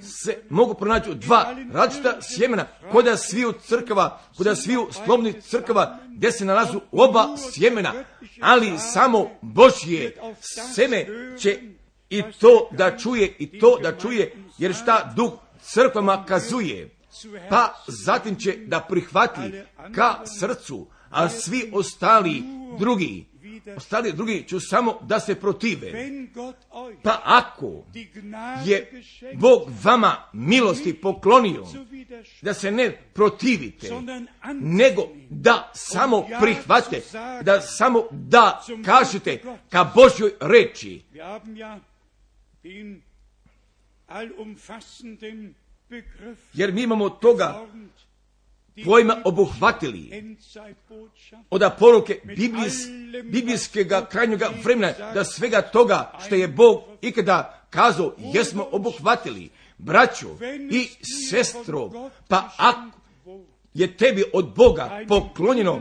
se mogu pronaći dva različita sjemena, koda sviju crkava, koda sviju slovnih crkava, gdje se nalazu oba sjemena, ali samo Božje seme će i to da čuje, jer šta Duh crkvama kazuje, pa zatim će da prihvati ka srcu, a svi ostali drugi će samo da se protive. Pa ako je Bog vama milosti poklonio, da se ne protivite, nego da samo prihvate, da samo da kažete ka Božjoj reči. Jer mi imamo toga pojma obuhvatili od poruke biblijskega krajnjega vremena, da svega toga što je Bog ikada kazao jesmo obuhvatili. Braćo i sestro, pa ako je tebi od Boga poklonjeno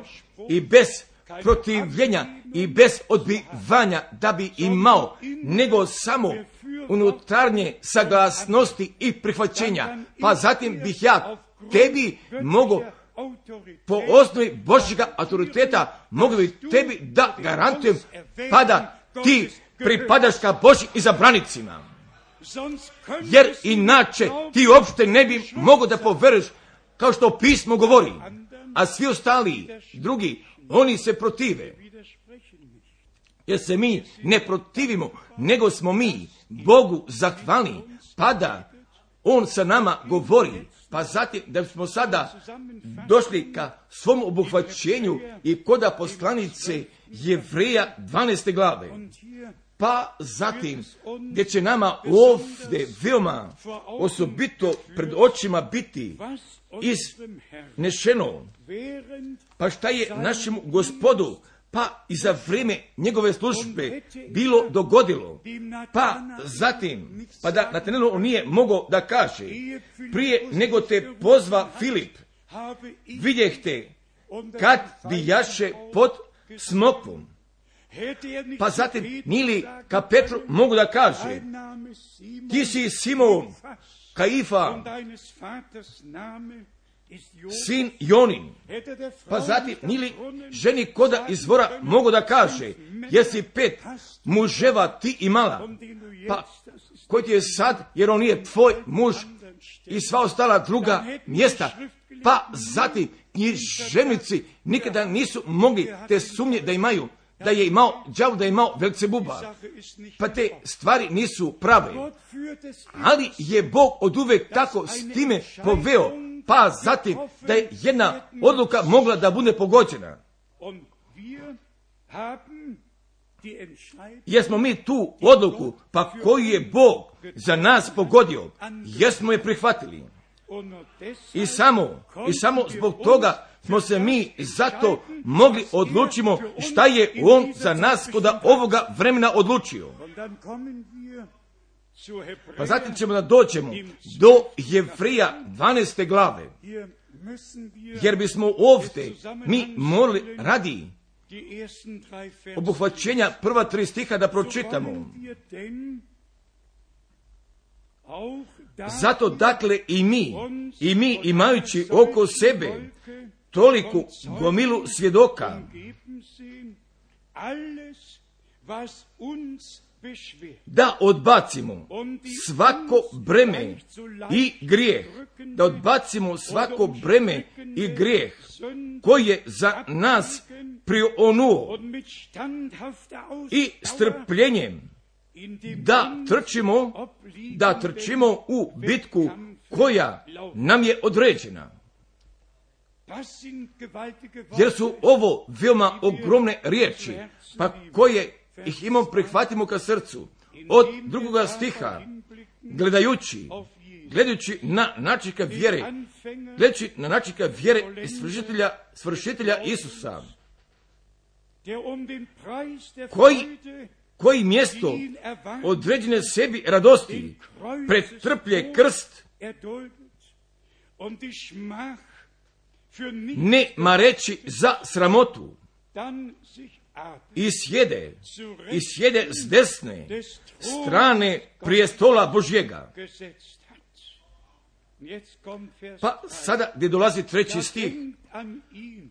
i bez protivljenja i bez odbivanja da bi imao, nego samo unutarnje saglasnosti i prihvaćenja, pa zatim bih ja tebi mogu po osnovi Božjega autoriteta mogu bi tebi da garantujem, pa da ti pripadaš ka Božjim izabranicima, jer inače ti uopšte ne bi mogo da poveruješ kao što pismo govori, a svi ostali drugi oni se protive, jer se mi ne protivimo, nego smo mi Bogu zahvalni, pa da On sa nama govori. Pa zatim da smo sada došli ka svom obuhvaćenju i koda poslanice Jevreja 12. glave. Pa zatim gdje će nama ovdje veoma osobito pred očima biti iznešeno, pa šta je našemu Gospodu pa i za vrijeme njegove službe bilo dogodilo, pa zatim, pa da Natanelu on nije mogao da kaže, prije nego te pozva Filip, vidjehte kad bijaše pod smokvom. Pa zatim nili ka Petru mogu da kaže, ti si Simon, Kaifa, sin Jonin. Pa zatim nili ženi koda izvora mogu da kaže, jesi 5 muževa ti imala, pa koji ti je sad, jer on nije tvoj muž i sva ostala druga mjesta. Pa zatim i ženici nikada nisu mogli te sumnje da imaju, da je imao đavo, da je imao Belcebuba. Pa te stvari nisu prave. Ali je Bog oduvek tako s time poveo, pa zatim da je jedna odluka mogla da bude pogođena. Jesmo mi tu odluku, pa koju je Bog za nas pogodio, jesmo je prihvatili. I samo zbog toga smo se mi zato mogli odlučimo šta je On za nas kod ovoga vremena odlučio. Pa zatim ćemo da dođemo do Jevreja 12. glave, jer bismo ovdje mi morali radi obuhvaćenja prva 3 stiha da pročitamo. Zato dakle i mi imajući oko sebe toliku gomilu svjedoka, da odbacimo svako breme i grijeh, da odbacimo svako breme i grijeh koji je za nas prionuo i strpljenjem da trčimo u bitku koja nam je određena. Jer su ovo veoma ogromne riječi, pa koje ih imamo prihvatimo ka srcu. Od 2. stiha, gledajući na načika vjere, gledajući na načika vjere i svršitelja Isusa, koji mjesto određene sebi radosti pretrplje krst, ne mareći za sramotu, i sjede s desne strane prijestola Božjega. Pa sada gdje dolazi 3. stih,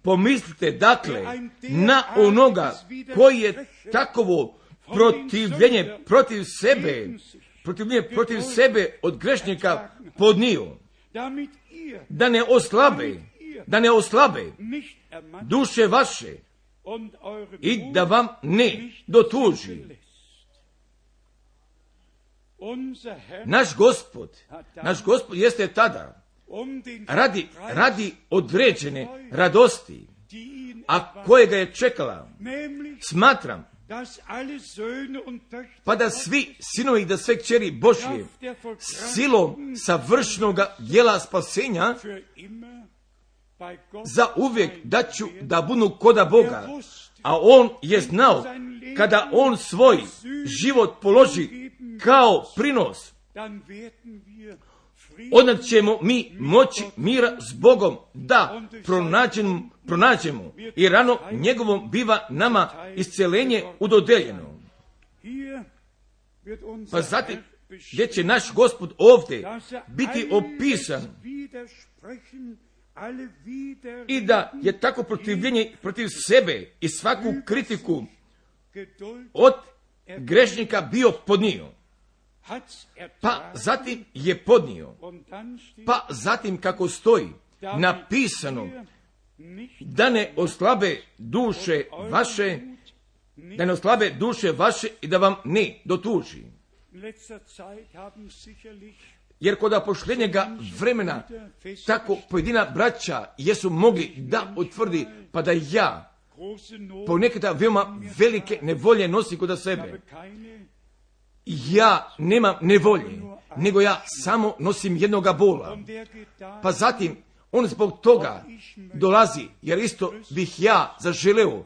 pomislite dakle na onoga koji je takovo protivljenje protiv sebe od grešnika podnio, da ne oslabe duše vaše i da vam ne dotuži. Naš gospod jeste tada radi određene radosti, a kojega je čekala, smatram, pa da svi sinovi, da sve kćeri Božje silom savršenoga djela spasenja za uvijek da budu koda Boga, a on je znao kada on svoj život položi kao prinos, onda ćemo mi moći mira s Bogom da pronađemo i rano njegovom biva nama isceljenje udodeljeno. Pa zatim gdje će naš Gospod ovdje biti opisan i da je tako protivljenje protiv sebe i svaku kritiku od grešnika bio podnio. Pa zatim je podnio. Pa zatim kako stoji napisano, da ne oslabe duše vaše i da vam ne dotuži. Jer kod posljednjega vremena tako pojedina braća jesu mogli da utvrdi, pa da ja ponekada veoma velike nevolje nosim kod sebe. Ja nemam nevolje, nego ja samo nosim jednoga bola. Pa zatim on zbog toga dolazi, jer isto bih ja zaželeo,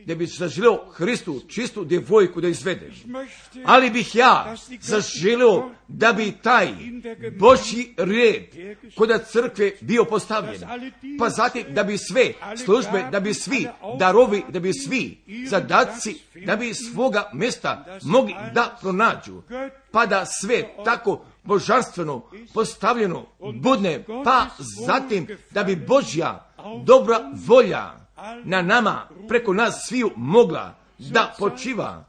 da bih zaželeo Hristu čistu djevojku da izvedem. Ali bih ja zaželeo da bi taj Božji red kod crkve bio postavljen. Pa zatim da bi sve službe, da bi svi darovi, da bi svi zadaci, da bi svoga mjesta mogli da pronađu. Pa da sve tako božanstveno postavljeno budne, pa zatim da bi Božja dobra volja na nama, preko nas sviju mogla da počiva.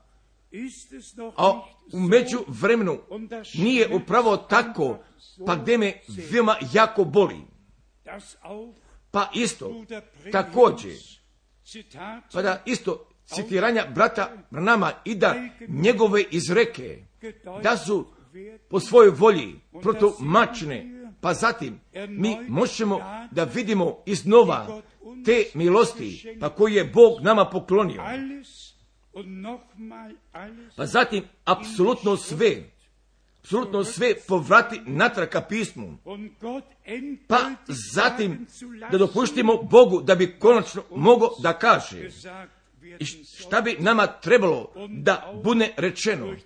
A u međuvremenu nije upravo tako, pa gdje me veoma jako boli. Pa isto, također, pa da isto citiranja brata Branhama i da njegove izreke, da su po svojoj volji protumačene, pa zatim mi možemo da vidimo iznova te milosti, pa koji je Bog nama poklonio. Pa zatim apsolutno sve povrati natrag ka pismu. Pa zatim da dopuštimo Bogu da bi konačno mogao da kaže i šta bi nama trebalo da bude rečeno.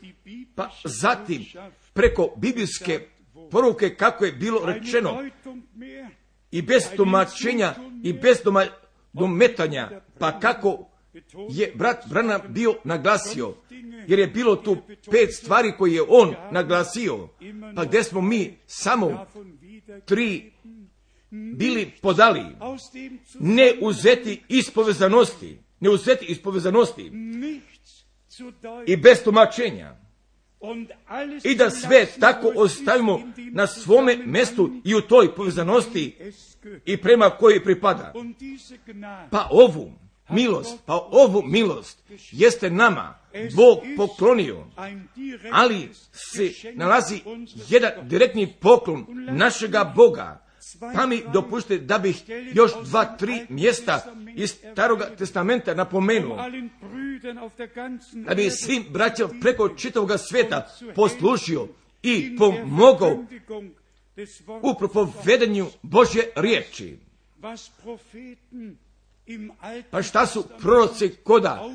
Pa zatim preko biblijske poruke kako je bilo rečeno i bez tumačenja i bez dometanja, pa kako je brat Branham bio naglasio, jer je bilo tu 5 stvari koje je on naglasio, pa gdje smo mi samo 3 bili podali. Ne uzeti iz povezanosti i bez tumačenja. I da sve tako ostavimo na svome mjestu i u toj povezanosti i prema kojoj pripada. Pa ovu milost jeste nama Bog poklonio, ali se nalazi jedan direktni poklon našega Boga. Pa mi dopustite da bih još 2-3 mjesta iz Staroga testamenta napomenuo, da bi svim braćama preko čitavoga svijeta poslužio i pomogao u propovedanju Božje riječi. Pa šta su proroci koda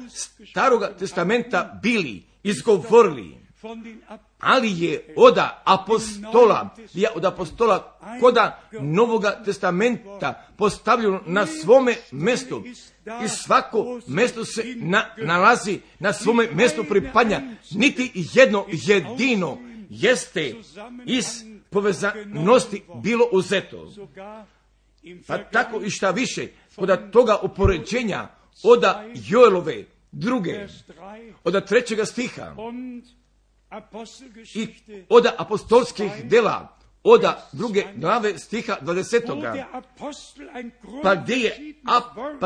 Staroga testamenta bili izgovorili? Ali je od apostola koda Novoga testamenta postavljeno na svome mjestu i svako mjesto se nalazi na svome mjestu pripadanja. Niti jedno jedino jeste iz povezanosti bilo uzeto. Pa tako i šta više, kod toga upoređenja od Joelove 2. od 3. stiha i od apostolskih dela od 2. glave stiha 20. Pa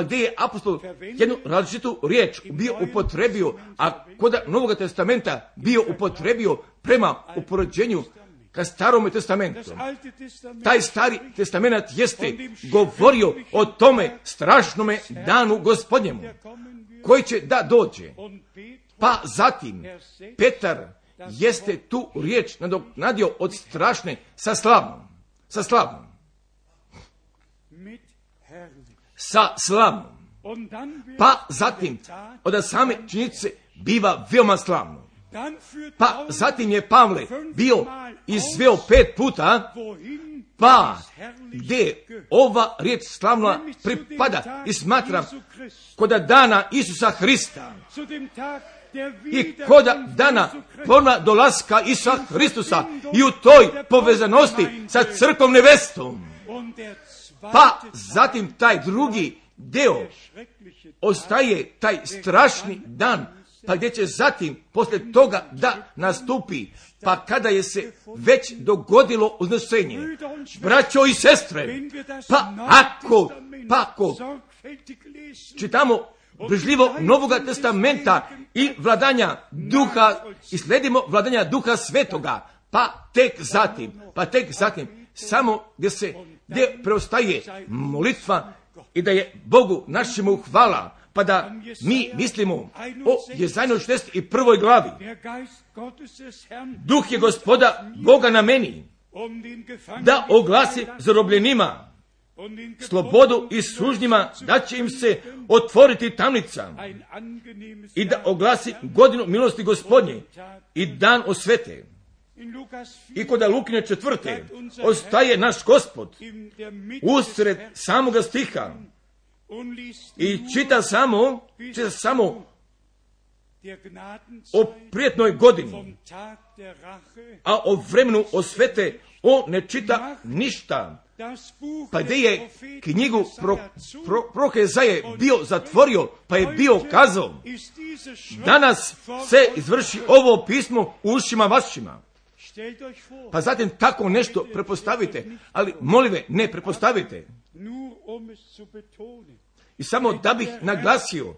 gdje je apostol jednu različitu riječ bio upotrebio, a kod Novog testamenta bio upotrebio prema upoređenju ka Starome testamentu. Taj Stari testament jeste govorio o tome strašnome danu Gospodnjemu, koji će da dođe. Pa zatim Petar jeste tu riječ nadoknadio od strašne sa slavnom. Pa zatim od same činjenice biva veoma slavno. Pa zatim je Pavle bio izveo 5 puta, pa gdje ova riječ slavna pripada i smatram kod dana Isusa Hrista i kod dana ponovna dolaska Isusa Hristusa i u toj povezanosti sa crkvom nevestom. Pa zatim taj drugi deo ostaje taj strašni dan, pa gdje će zatim poslije toga da nastupi, pa kada je se već dogodilo uznesenje. Braćo i sestre, pa ako čitamo brižljivo Novoga testamenta i vladanja duha i sledimo vladanja duha svetoga, pa tek zatim samo gdje preostaje molitva i da je Bogu našemu hvala, pa da mi mislimo o Jezajnoj 61. glavi. Duh je Gospoda Boga na meni, da oglasi zarobljenima slobodu i sužnjima, da će im se otvoriti tamnica i da oglasi godinu milosti Gospodnje i dan osvete. I kod Lukine 4. ostaje naš Gospod usred samoga stiha i čita samo o prijetnoj godini, a o vremenu osvete on ne čita ništa. Pa gdje je knjigu proroka Ezaje bio zatvorio, pa je bio kazao, danas se izvrši ovo pismo u ušima vašima. Pa zatim tako nešto prepostavite, ali molive ne prepostavite. I samo da bih naglasio,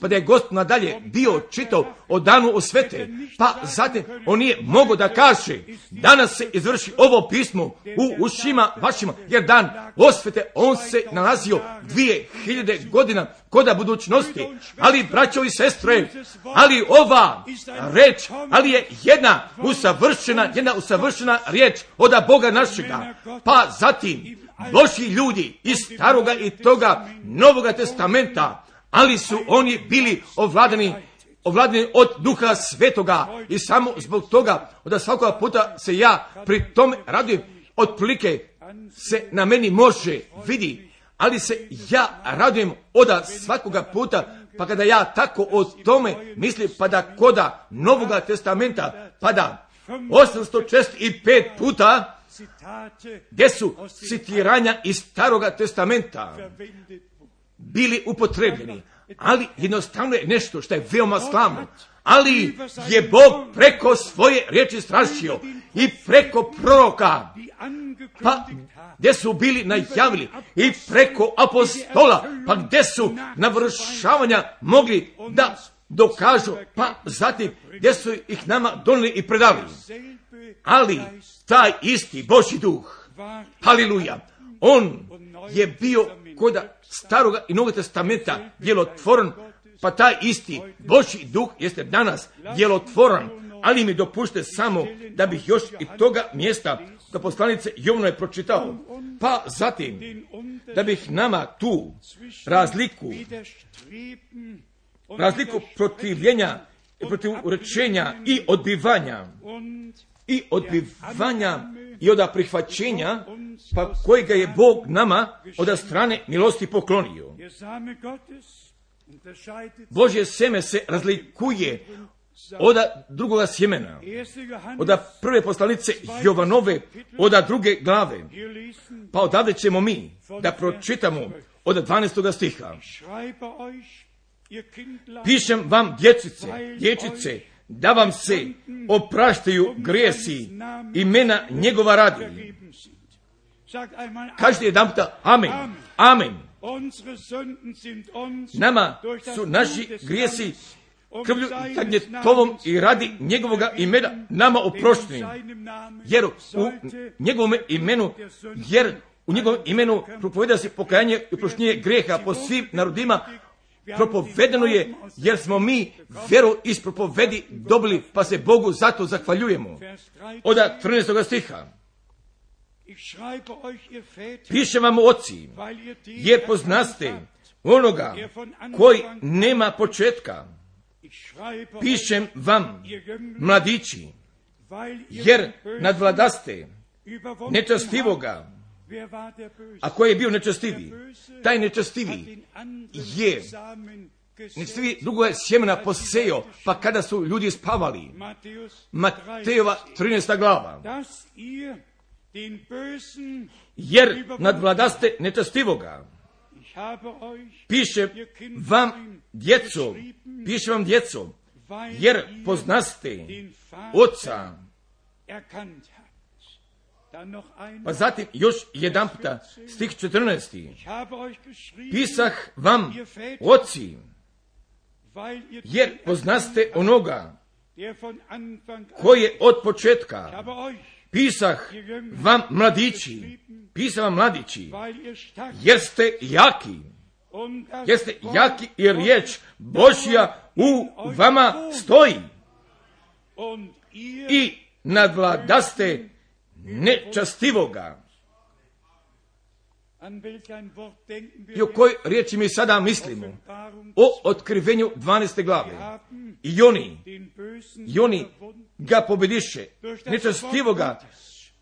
pa da je Gospod nadalje bio čitao o danu osvete, pa zatim on nije mogao da kaže, danas se izvrši ovo pismo u ušima vašima, jer dan osvete, on se nalazio 2000 godina koda budućnosti. Ali, braćo i sestre, ali ova reč, ali je jedna usavršena riječ od Boga našega, pa zatim Božji ljudi iz Staroga i toga Novoga testamenta, ali su oni bili ovladani od Duha Svetoga i samo zbog toga da svakoga puta se ja pri tome radujem, otprilike se na meni može vidi, ali se ja radujem oda svakoga puta, pa kada ja tako o tome mislim, pa da koda Novoga testamenta, pa da 845 puta gdje su citiranja iz Staroga testamenta bili upotrebljeni, ali jednostavno je nešto što je veoma slavno. Ali je Bog preko svoje riječi strašio i preko proroka, pa gdje su bili najavili, i preko apostola, pa gdje su navršavanja mogli da dokažu, pa zatim gdje su ih nama donijeli i predali. Ali taj isti Božji duh, haleluja, on je bio kod Staroga i Novog testamenta djelotvoran, pa taj isti Božji duh jeste danas djelotvoran. Ali mi dopušte samo da bih još i toga mjesta da poslanice Jovano je pročitao, pa zatim da bih nama tu razliku protivljenja i protivrečenja i odbivanja i od prihvaćenja, pa kojega je Bog nama od strane milosti poklonio. Božje seme se razlikuje od drugoga sjemena, od prve poslanice Jovanove, od druge glave. Pa odavde ćemo mi da pročitamo od 12. stiha. Pišem vam, dječice, da vam se opraštaju grijesi imena njegova radi. Kažete jedan puta amen, amen. Nama su naši grijesi krvlju i tagnjetovom i radi njegovoga imena nama oprošteni. Jer u njegovom imenu propoveda se pokajanje i oproštenje grijeha po svim narodima. Propovedeno je, jer smo mi vjeru iz propovedi dobili, pa se Bogu zato zahvaljujemo. Od 13. stiha. Pišem vam, oci, jer poznaste onoga koji nema početka. Pišem vam, mladići, jer nadvladaste nečastivoga. A koji je bio nečastiviji? Taj nečastiviji je drugo je sjemena posejao, pa kada su ljudi spavali. Matejova 13. glava. Jer nadvladaste nečastivoga. Pišem vam, djeco, jer poznaste oca. Pa zatim još jedan puta, stih 14. Pisah vam, oci, jer poznaste onoga koji je od početka. Pisah vam, mladići, jer ste jaki. I riječ Božja u vama stoji. I nadvladaste nečastivoga. I o kojoj riječi mi sada mislimo? O otkrivenju 12. glave. I oni ga pobjediše, nečastivoga,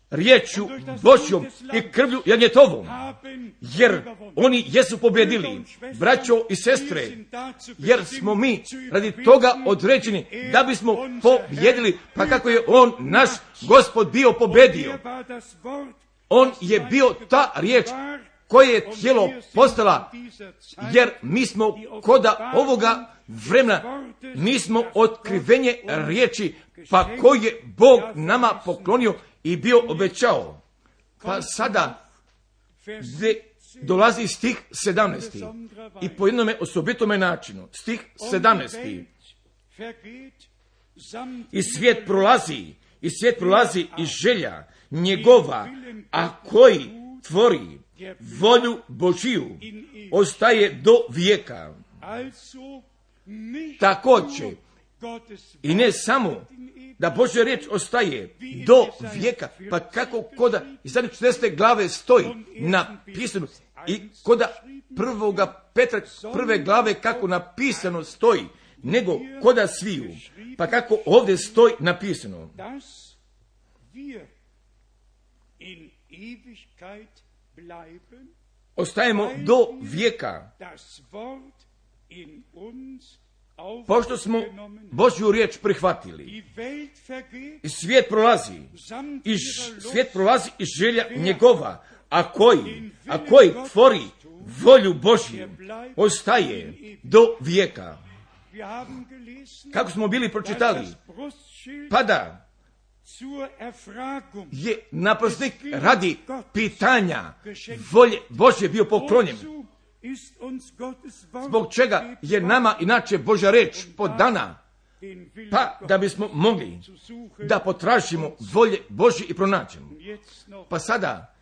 riječju Božjom i krvlju jagnjetovom. Jer oni jesu pobjedili, braćo i sestre, jer smo mi radi toga određeni da bismo pobjedili, pa kako je on, naš Gospod, bio pobjedio. On je bio ta riječ koje je tijelo postala, jer mi smo koda ovoga vremena, mi smo otkrivenje riječi, pa koje je Bog nama poklonio i bio obećao. Pa sada dolazi stih 17. I po jednome osobitome načinu. Stih 17. I svijet prolazi i želja njegova, a koji tvori volju Božiju ostaje do vijeka. Također, i ne samo da Božja riječ ostaje do vijeka, pa kako koda iz 40. glave stoji napisano i koda 1. Petra 1. glave kako napisano stoji, nego koda sviju, pa kako ovdje stoji napisano. ostajemo do vijeka, pošto smo Božju riječ prihvatili. I svijet prolazi i želja njegova, a koji tvori volju Božju, ostaje do vijeka. Kako smo bili pročitali, pada je naprosnik radi pitanja volje Božje bio poklonjen. Zbog čega je nama inače Božja reč podana, pa da bismo mogli da potražimo volje Božje i pronađemo. Pa sada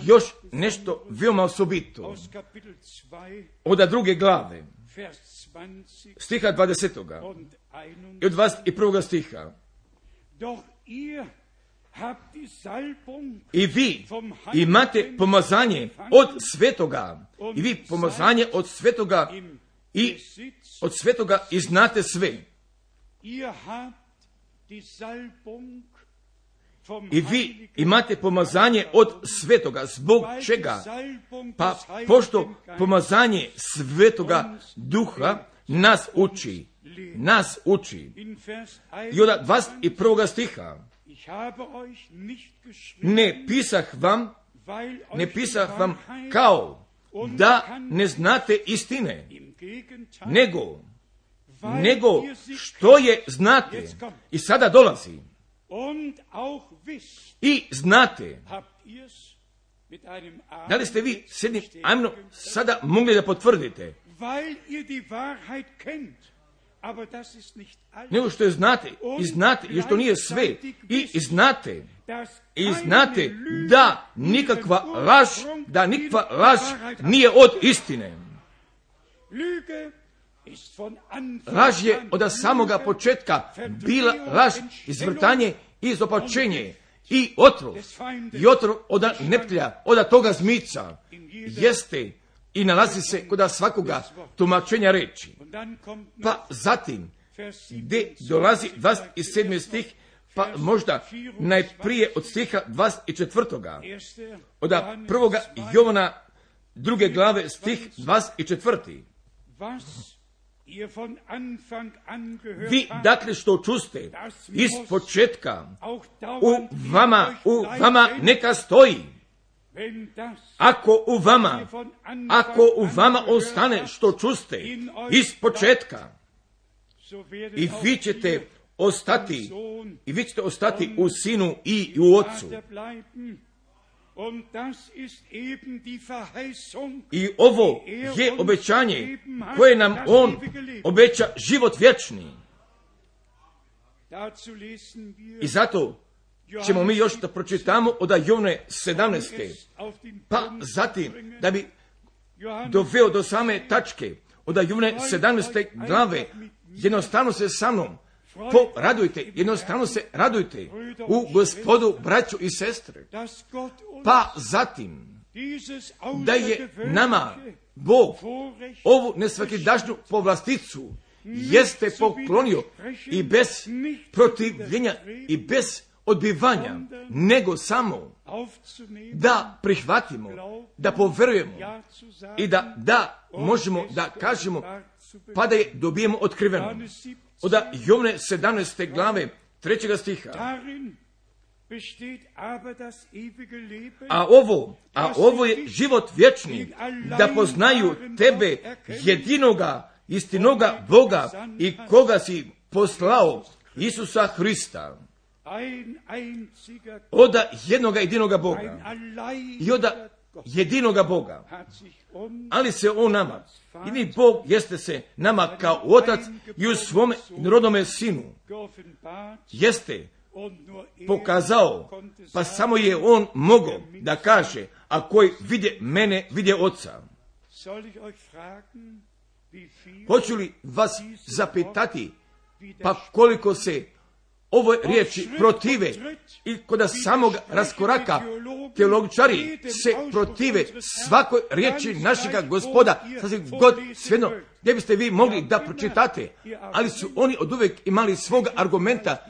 još nešto veoma osobito od 2. glave, stiha 20. i od 21. stiha. I vi imate pomazanje od svetoga, i znate sve. I vi imate pomazanje od svetoga. Zbog čega? Pa pošto pomazanje svetoga duha nas uči. I od 21. stiha. Ne pisah vam kao da ne znate istine, nego što je znate. I sada dolazi. I znate. Da li ste vi s jednim ajmno sada mogli da potvrdite? Nego što je znate, i što nije sve, i znate da nikakva laž nije od istine. Laž je od samoga početka bila laž, izvrtanje i izopačenje i otrov od neptelja, od toga zmica jeste i nalazi se kod svakoga tumačenja reči. Pa zatim, gdje dolazi 27. stih, pa možda najprije od stiha 24. Od 1. Jovana 2. glave stih 24. Vi dakle što čuste iz početka u vama neka stoji. Ako u vama ostane što čuste iz početka, i vi ćete ostati u Sinu i u Otcu. I ovo je obećanje koje nam On obeća život vječni. I zato ćemo mi još da pročitamo od Jovne 17. Pa zatim, da bi doveo do same tačke, od Jovne 17. glave, jednostavno se sa mnom jednostavno se radujte u Gospodu, braćo i sestre. Pa zatim, da je nama Bog ovu nesvakidašnju povlasticu jeste poklonio i bez protivljenja i bez odbivanja, nego samo da prihvatimo, da poverujemo i da možemo da kažemo, pa da je dobijemo otkriveno. Od Jovne 17. glave 3. stiha. A ovo je život vječni, da poznaju tebe, jedinoga, istinoga Boga i koga si poslao, Isusa Hrista. Od jednoga jedinoga Boga i od jedinoga Boga. Ali se on nama, jedini Bog jeste se nama kao Otac i u svome rodnome Sinu jeste pokazao, pa samo je on mogao da kaže, a koji vidje mene, vidje Oca. Hoću li vas zapitati, pa koliko se ovoj riječi protive i kod samog raskoraka teologičari se protive svakoj riječi našega Gospoda, sasvim god svejedno gdje biste vi mogli da pročitate, ali su oni oduvijek imali svog argumenta,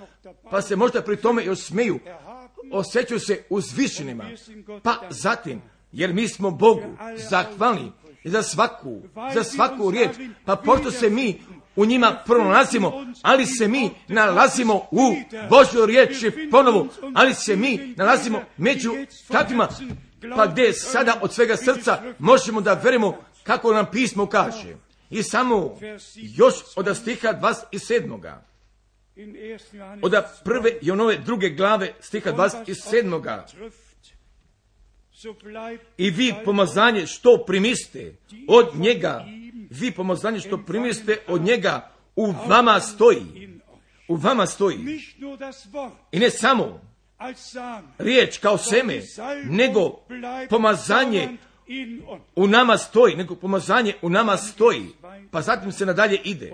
pa se možda pri tome još smeju, osjećaju se uzvišenima. Pa zatim jer mi smo Bogu zahvalni za svaku riječ, pa pošto se mi u njima pronalazimo, ali se mi nalazimo u Božjoj riječi ponovo, ali se mi nalazimo među takvima, pa gdje sada od svega srca možemo da verimo kako nam pismo kaže. I samo još od stiha 27. Od prve i onove druge glave stiha 27. I vi pomazanje što primiste od njega, vi pomazanje što primiste od njega u vama stoji. U vama stoji. I ne samo riječ kao seme, nego pomazanje u nama stoji, nego pomazanje u nama stoji. Pa zatim se nadalje ide.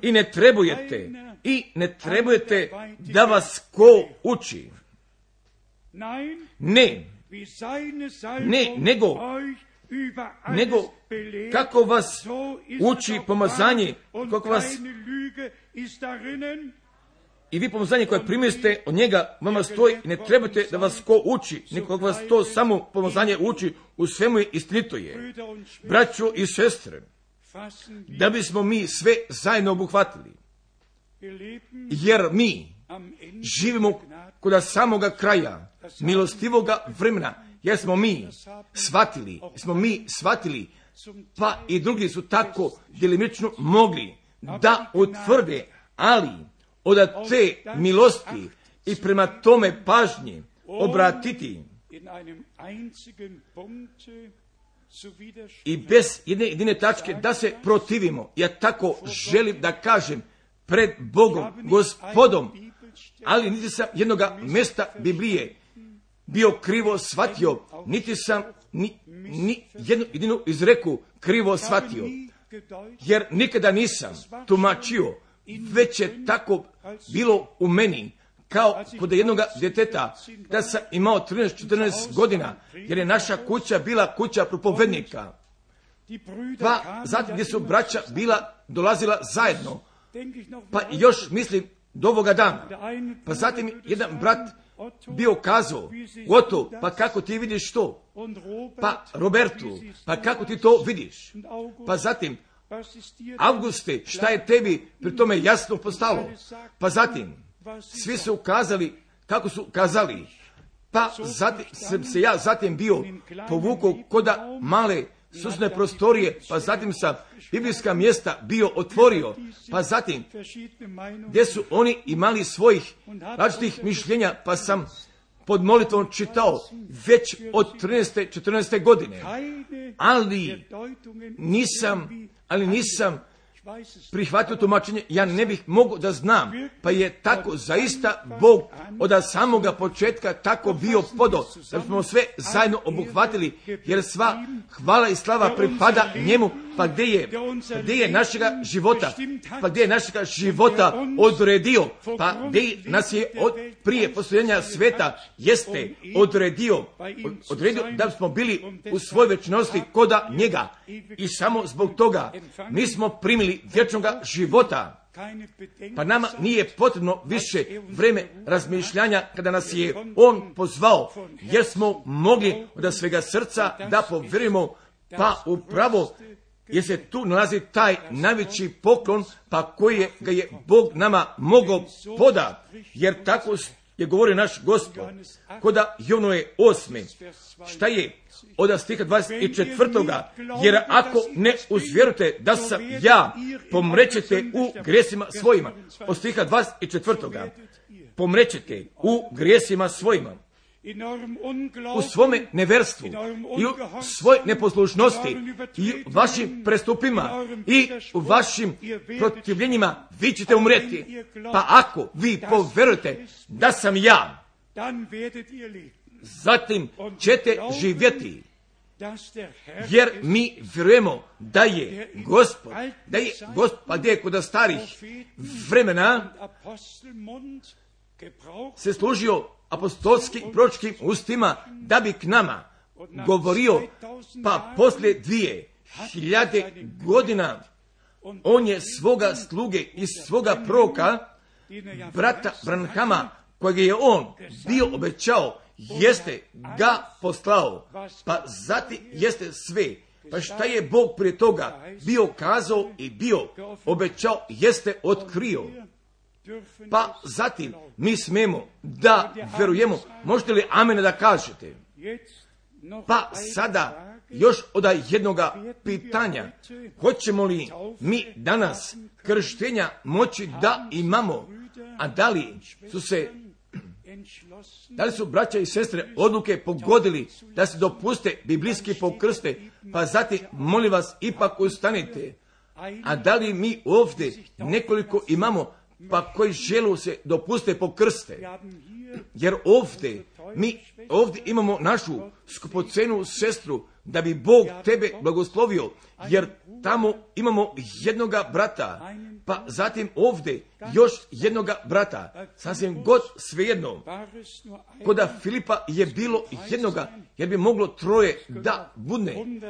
I ne trebujete da vas ko uči. Ne, nego kako vas uči pomazanje, kako vas i vi pomazanje koje primiste od njega vama stoji, ne trebate da vas ko uči, nego kako vas to samo pomazanje uči, u svemu je istinito je. Braćo i sestre, da bismo mi sve zajedno obuhvatili, jer mi živimo kod samoga kraja milostivoga vremena, jer smo mi shvatili, pa i drugi su tako djelimično mogli da utvrde, ali od te milosti i prema tome pažnje obratiti i bez jedine tačke da se protivimo. Ja tako želim da kažem pred Bogom, Gospodom, ali niti sam jednoga mjesta Biblije bio krivo shvatio, niti sam ni jednu jedinu izreku krivo shvatio, jer nikada nisam tumačio, već je tako bilo u meni, kao kod jednoga djeteta, da sam imao 13-14 godina, jer je naša kuća bila kuća propovednika. Pa zatim gdje su braća dolazila zajedno, pa još mislim do ovoga dana. Pa zatim jedan brat bio kazao, Otto, pa kako ti vidiš to? Pa Robertu, pa kako ti to vidiš? Pa zatim, Auguste, šta je tebi pri tome jasno postalo? Pa zatim, svi su kazali kako su kazali. Pa zatim sam se ja zatim bio povukao koda male susne prostorije, pa zatim sam biblijska mjesta bio otvorio, pa zatim gdje su oni imali svojih različitih mišljenja, pa sam pod molitvom čitao već od 13. 14. godine, ali nisam prihvatio tumačenje, ja ne bih mogao da znam, pa je tako zaista Bog od samoga početka tako bio podo, da smo sve zajedno obuhvatili, jer sva hvala i slava pripada njemu, pa gdje je našega života odredio, pa gdje nas je prije postojanja sveta jeste odredio da smo bili u svoj večnosti koda njega, i samo zbog toga mi smo primili vječnoga života. Pa nama nije potrebno više vreme razmišljanja kada nas je on pozvao, jer smo mogli od svega srca da povjerujemo, pa upravo jer se tu nalazi taj najveći poklon, pa koji ga je Bog nama mogao poda, jer tako je govorio naš Gospod koda Jovnove 8. Šta je od stiha 24. Jer ako ne uzvjerujete da sam ja, pomrećete u grijesima svojima. Od stiha 24. Pomrećete u grijesima svojima. U svome neverstvu i u svoj neposlušnosti i u vašim prestupima i u vašim protivljenjima vi ćete umreti. Pa ako vi povjerujete da sam ja, zatim ćete živjeti, jer mi vjerujemo da je Gospod, pa gdje je kod starih vremena se služio apostolskim i proročkim ustima da bi k nama govorio, pa poslije 2000 godina on je svoga sluge i svoga proroka brata Branhama, kojeg je on bio obećao jeste ga poslao, pa zatim jeste sve. Pa šta je Bog prije toga bio kazao i bio obećao, jeste otkrio. Pa zatim mi smemo da verujemo. Možete li amena da kažete? Pa sada još od jednoga pitanja. Hoćemo li mi danas krštenja moći da imamo? A da li su braća i sestre odluke pogodili da se dopuste biblijski pokrste? Pa zatim molim vas ipak ustanite. A da li mi ovdje nekoliko imamo pa koji želu se dopuste pokrste? Jer mi ovdje imamo našu skupocenu sestru, da bi Bog tebe blagoslovio, jer tamo imamo jednoga brata, pa zatim ovdje još jednoga brata, sasvim god svejedno. Koda Filipa je bilo jednoga, jer bi moglo troje da budne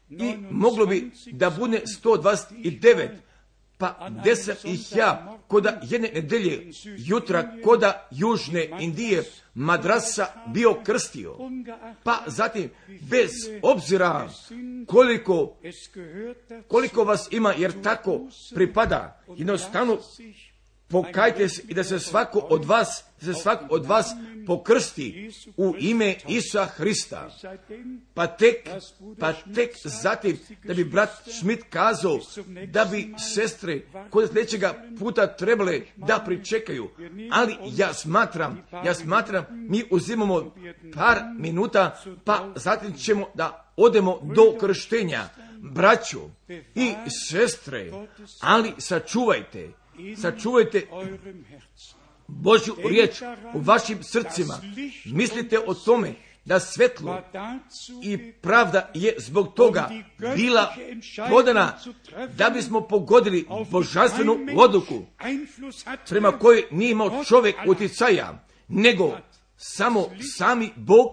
i moglo bi da budne 129, pa 10 ih ja koda jedne nedelje jutra koda Južne Indije Madrasa bio krstio. Pa zatim bez obzira koliko vas ima, jer tako pripada, jednostavno pokajte se i da se svako od vas pokrsti u ime Isusa Hrista. Pa tek zatim da bi brat Schmidt kazao da bi sestre kod sljedećega puta trebale da pričekaju. Ali ja smatram mi uzimamo par minuta, pa zatim ćemo da odemo do krštenja. Braćo i sestre, ali sačuvajte Božju riječ u vašim srcima. Mislite o tome da svetlo i pravda je zbog toga bila podana da bismo pogodili božanstvenu odluku prema kojoj nije imao čovjek uticaja, nego sami Bog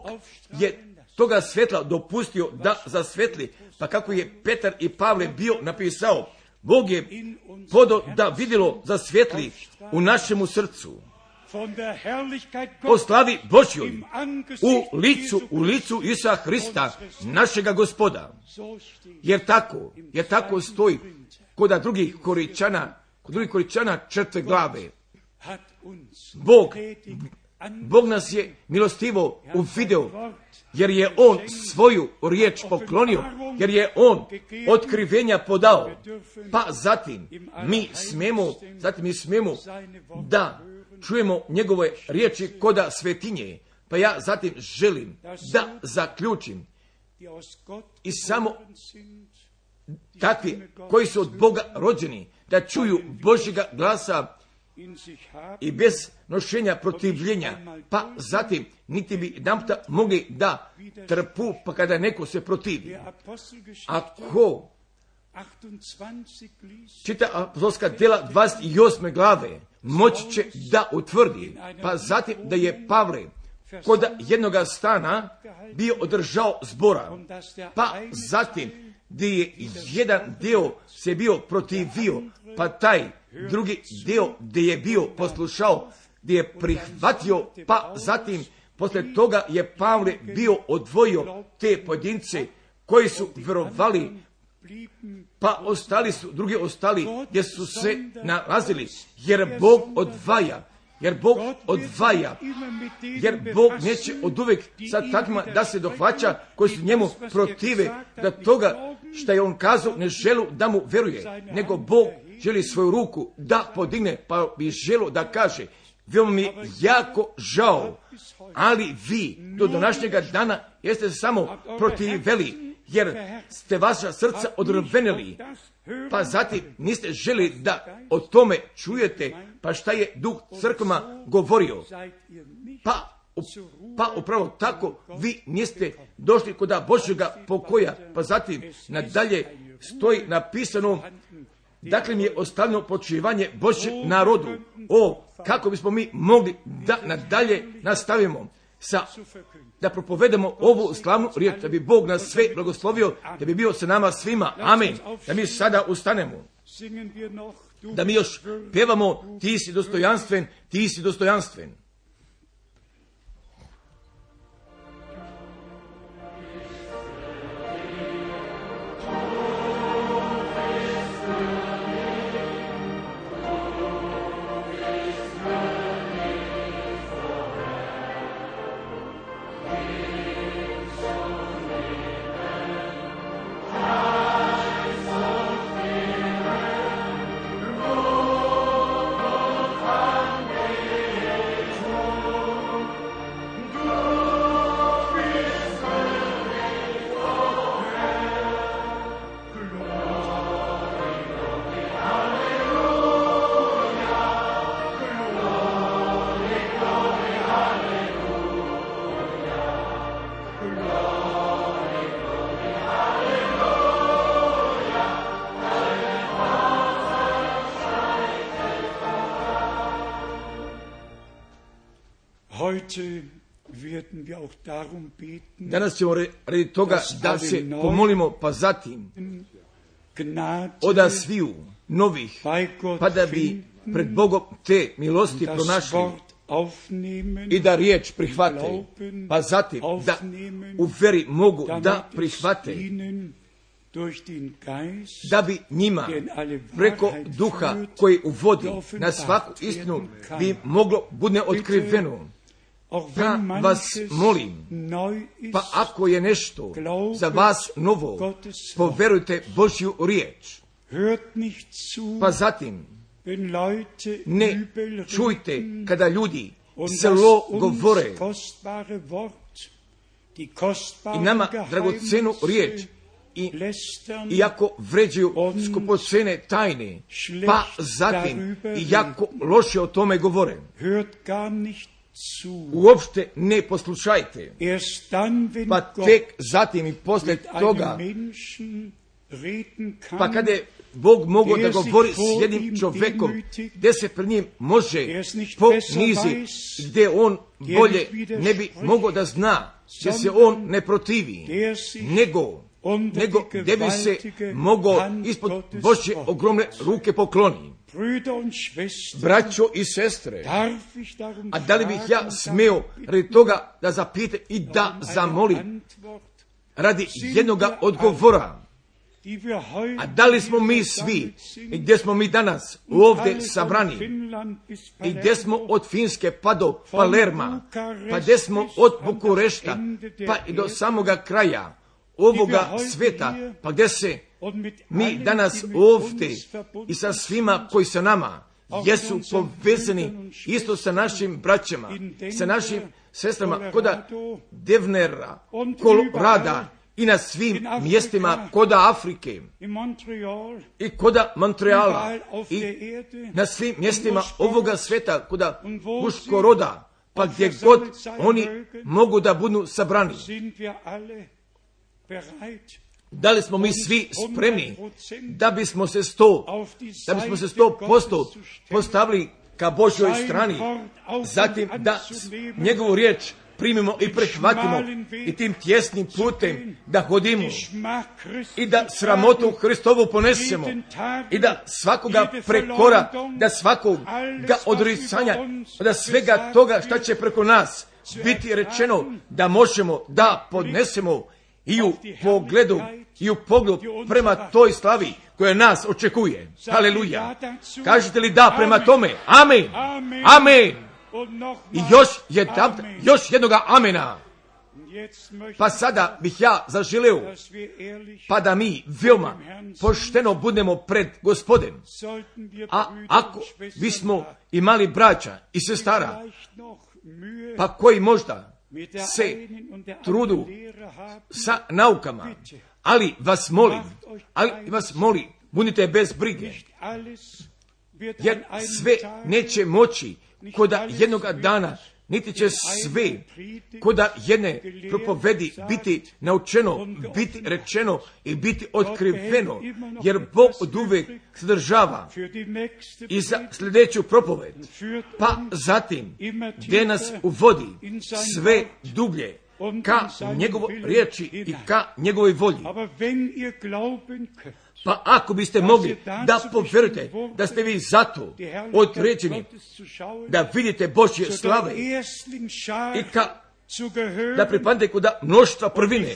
je toga svetla dopustio da zasvetli. Pa kako je Petar i Pavle bio napisao, Bog je podao da vidjelo zasvjetli u našemu srcu o slavi Božjoj u licu Isusa Hrista, našega Gospoda. Jer tako stoji kod drugih Koričana 4. glave. Bog nas je milostivo uvideo, jer je On svoju riječ poklonio, jer je On otkrivenja podao. Pa zatim mi smemo da čujemo njegove riječi koda svetinje. Pa ja zatim želim da zaključim i samo takvi koji su od Boga rođeni, da čuju Božjega glasa i bez nošenja protivljenja, pa zatim niti bi jedanputa mogli da trpu, pa kada neko se protivi. Ako čita apostolska djela 28. glave, moći će da utvrdi, pa zatim da je Pavle kod jednoga stana bio održao zbora, pa zatim gdje je jedan dio se bio protivio, pa taj drugi dio gdje je bio poslušao, gdje je prihvatio, pa zatim poslije toga je Pavle bio odvojio te pojedince koji su vjerovali, pa drugi ostali gdje su se nalazili, jer Bog neće oduvijek sa takvima da se dohvaća koji su njemu protive, da toga što je on kazao ne želu da mu veruje, nego Bog želi svoju ruku da podigne, pa bi želo da kaže, veoma mi jako žao, ali vi do današnjega dana jeste samo protiveli, jer ste vaša srca odrvenili, pa zatim niste želi da o tome čujete, pa šta je Duh crkvama govorio. Pa upravo tako vi niste došli kod Božjega pokoja, pa zatim nadalje stoji napisano, dakle mi je ostavljeno počivanje Božjem narodu. Kako bismo mi mogli da nadalje nastavimo da propovedemo ovu slavnu riječ, da bi Bog nas sve blagoslovio, da bi bio sa nama svima. Amen. Da mi sada ustanemo, da mi još pjevamo, ti si dostojanstven, ti si dostojanstven. Danas ćemo radi toga da se pomolimo, pa zatim oda sviju novih, pa da bi pred Bogom te milosti pronašli i da riječ prihvate, pa zatim da u veri mogu da prihvate, da bi njima preko duha koji uvodi na svaku istinu bi moglo bude otkriveno. Da vas molim, pa ako je nešto za vas novo, poverujte Božju riječ. Pa zatim ne čujte kada ljudi zlo govore i nama dragocenu riječ i ako vređuju skupocene tajne, pa zatim i jako loše o tome govore. Uopšte ne poslušajte, pa tek zatim i poslije toga, pa kada je Bog mogao da govori s jednim čovjekom, gdje se pred njim može ponizi, gdje on bolje ne bi mogao da zna, gdje se on ne protivi, nego gdje bi se mogao ispod Božje ogromne ruke pokloni. Braćo i sestre, a da li bih ja smeo radi toga da zapitam i da zamolim radi jednoga odgovora? A da li smo mi svi, i gdje smo mi danas ovdje sabrani, i gdje smo od Finske pa do Palerma, pa gdje smo od Bukurešta pa i do samoga kraja ovoga sveta, pa gdje se mi danas ovdje i sa svima koji sa nama jesu povezani isto sa našim braćama, sa našim sestrama koda Devnera, Kolorada i na svim mjestima koda Afrike i koda Montreala i na svim mjestima ovoga sveta koda Uškoroda, pa gdje god oni mogu da budu sabrani. Da li smo mi svi spremni da bismo se 100% postavili ka Božjoj strani, zatim da njegovu riječ primimo i prihvatimo i tim tjesnim putem da hodimo i da sramotu Hristovu ponesemo i da svakoga prekora, da svakoga odricanja, da svega toga šta će preko nas biti rečeno da možemo da podnesemo i u pogledu prema toj slavi koja nas očekuje. Haleluja. Kažete li da prema tome? Amen. Amen. I još jednoga amena. Pa sada bih ja zaželeo, pa da mi veoma pošteno budemo pred Gospodem. A ako bismo imali braća i sestara, pa koji možda se trudu sa naukama, ali vas molim, budite bez brige, jer sve neće moći koda jednoga dana, niti će sve koda jedne propovedi biti naučeno, biti rečeno i biti otkriveno, jer Bog od uvek sadržava i za sljedeću propoved, pa zatim gdje nas uvodi sve dublje ka njegovoj riječi i ka njegovoj volji. Pa ako biste mogli da povjerujete da ste vi zato određeni da vidite Božje slave i da pripadate kod mnoštva prvine,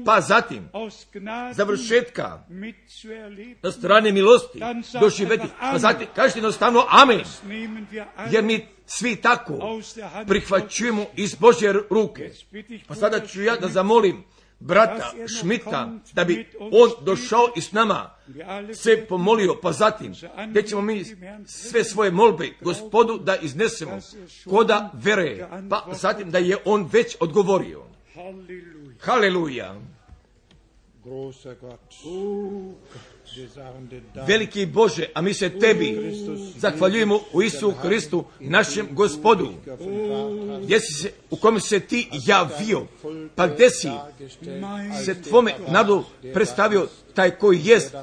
pa zatim završetka na strane milosti doživjeti, pa zatim kažete jednostavno amen, jer mi svi tako prihvaćujemo iz Božje ruke. Pa sada ću ja da zamolim brata Šmita da bi on došao i s nama se pomolio, pa zatim gdje ćemo mi sve svoje molbe Gospodu da iznesemo koda vere, pa zatim da je on već odgovorio. Haleluja. Veliki Bože, a mi se tebi zahvaljujemo u Isusu Hristu, našem Gospodu, u kome se ti javio, pa gdje si se tvome narodu predstavio taj koji jest,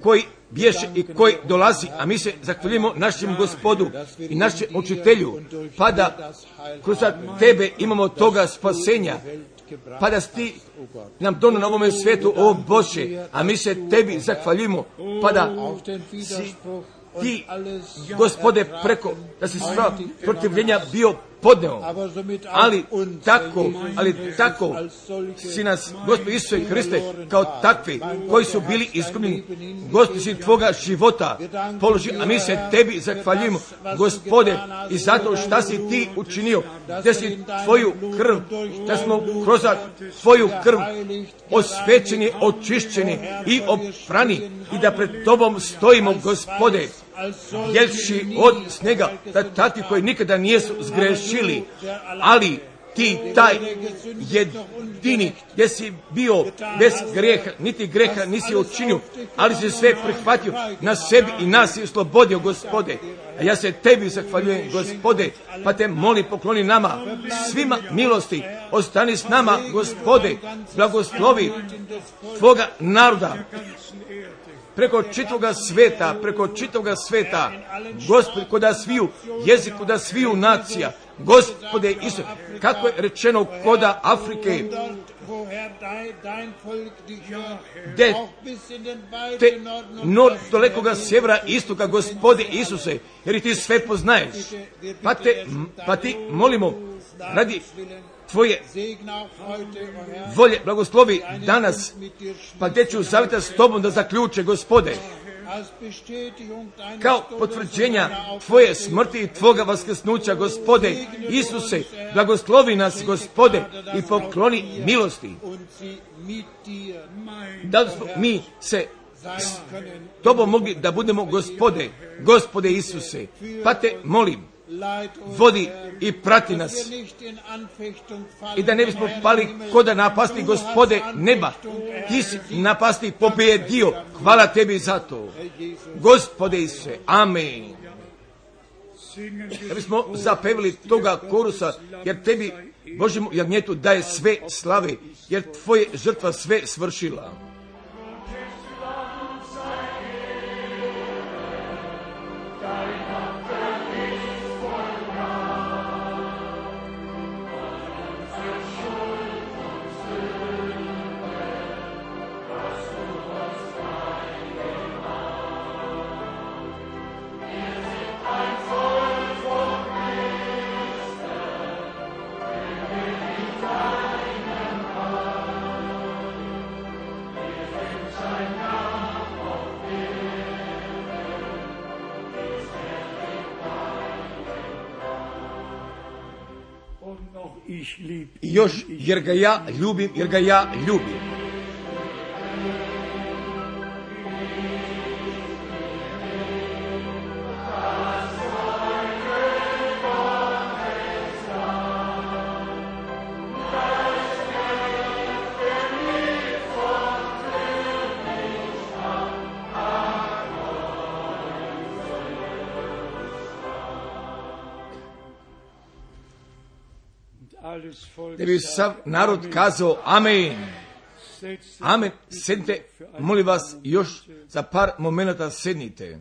koji bješe i koji dolazi, a mi se zahvaljujemo našem Gospodu i našem učitelju, pa da kroz tebe imamo toga spasenja, pa da si ti nam donio na ovome svijetu, o Bože, a mi se tebi zahvaljujemo, pa da si ti, Gospode, da si sva protivljenja bio podneo, ali tako si nas, Gospod Isuse Hriste, kao takvi koji su bili izgubljeni, Gospod si tvoga života položi, a mi se tebi zahvaljujemo, Gospode, i zato šta si ti učinio, da si tvoju krv, da smo kroz tvoju krv osvećeni, očišćeni i oprani i da pred tobom stojimo, Gospode, jelši od snega, da takvi koji nikada nisu zgrešili, ali ti taj jedini gdje si bio bez greha, niti greha nisi učinio, ali si sve prihvatio na sebi i nas si oslobodio, Gospode. A ja se tebi zahvaljujem, Gospode, pa te molim, pokloni nama svima milosti, ostani s nama, Gospode, blagoslovi tvoga naroda preko čitavoga sveta, Gospod, koda sviju jeziku, da sviju nacija, Gospode Isuse, kako je rečeno koda Afrike, te dalekoga sjevera, istoka, Gospode Isuse, jer i ti sve poznaješ, pa ti molimo radi tvoje volje, blagoslovi danas, pa gdje ću zavita s tobom da zaključe, Gospode, kao potvrđenja tvoje smrti i tvoga vaskrsnuća, Gospode Isuse, blagoslovi nas, Gospode, i pokloni milosti, da smo mi se s tobom mogli da budemo, Gospode Isuse, pa te molim, vodi i prati nas i da ne bismo pali koda napasti, Gospode neba, ti si napasti pobjedio, hvala tebi za to, Gospode Isuse, amen. Da bismo zapevili toga korusa, jer tebi, Božjemu jagnjetu, daje sve slave, jer tvoje žrtva sve svršila. I još, jer ga ja ljubim. Da bi sav narod kazao amen. Amen. Sednite, molim vas, još za par momenata sednite.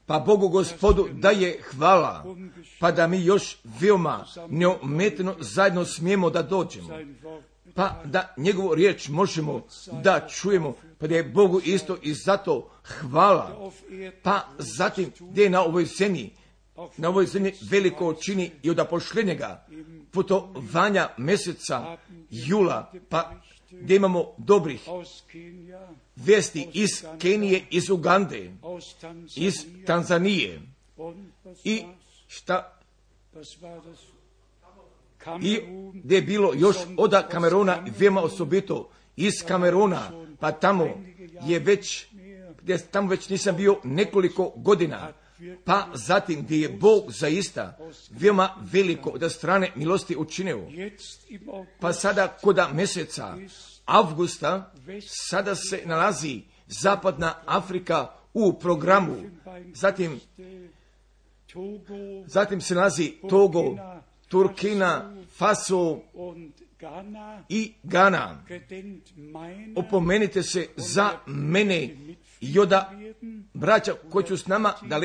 Pa Bogu Gospodu da je hvala, pa da mi još veoma neometno zajedno smijemo da dođemo, pa da njegovu riječ možemo da čujemo, pa da je Bogu isto i zato hvala. Pa zatim gdje je na ovoj zemlji veliko čini i od pošljenjega putovanja mjeseca jula, pa gdje imamo dobrih vijesti iz Kenije, iz Ugande, iz Tanzanije i i gdje je bilo još od Kameruna, veoma osobito iz Kameruna, pa tamo već nisam bio nekoliko godina. Pa zatim gdje je Bog zaista veoma veliko od strane milosti učinio. Pa sada koda mjeseca avgusta sada se nalazi Zapadna Afrika u programu. Zatim se nalazi Turkina Faso i Gana. Opomenite se za mene i oda braća koji ću s nama da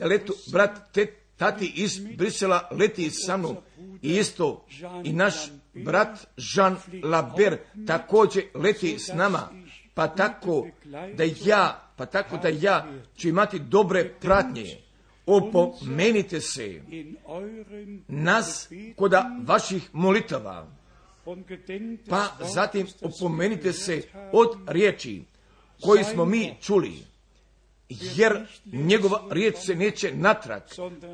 letu brat tati iz Brisela leti sa mnom i isto i naš brat Jean Laber također leti s nama, pa tako da ja ću imati dobre pratnje. Opomenite se nas koda vaših molitava, pa zatim opomenite se od riječi koji smo mi čuli, jer njegova riječ se neće natrag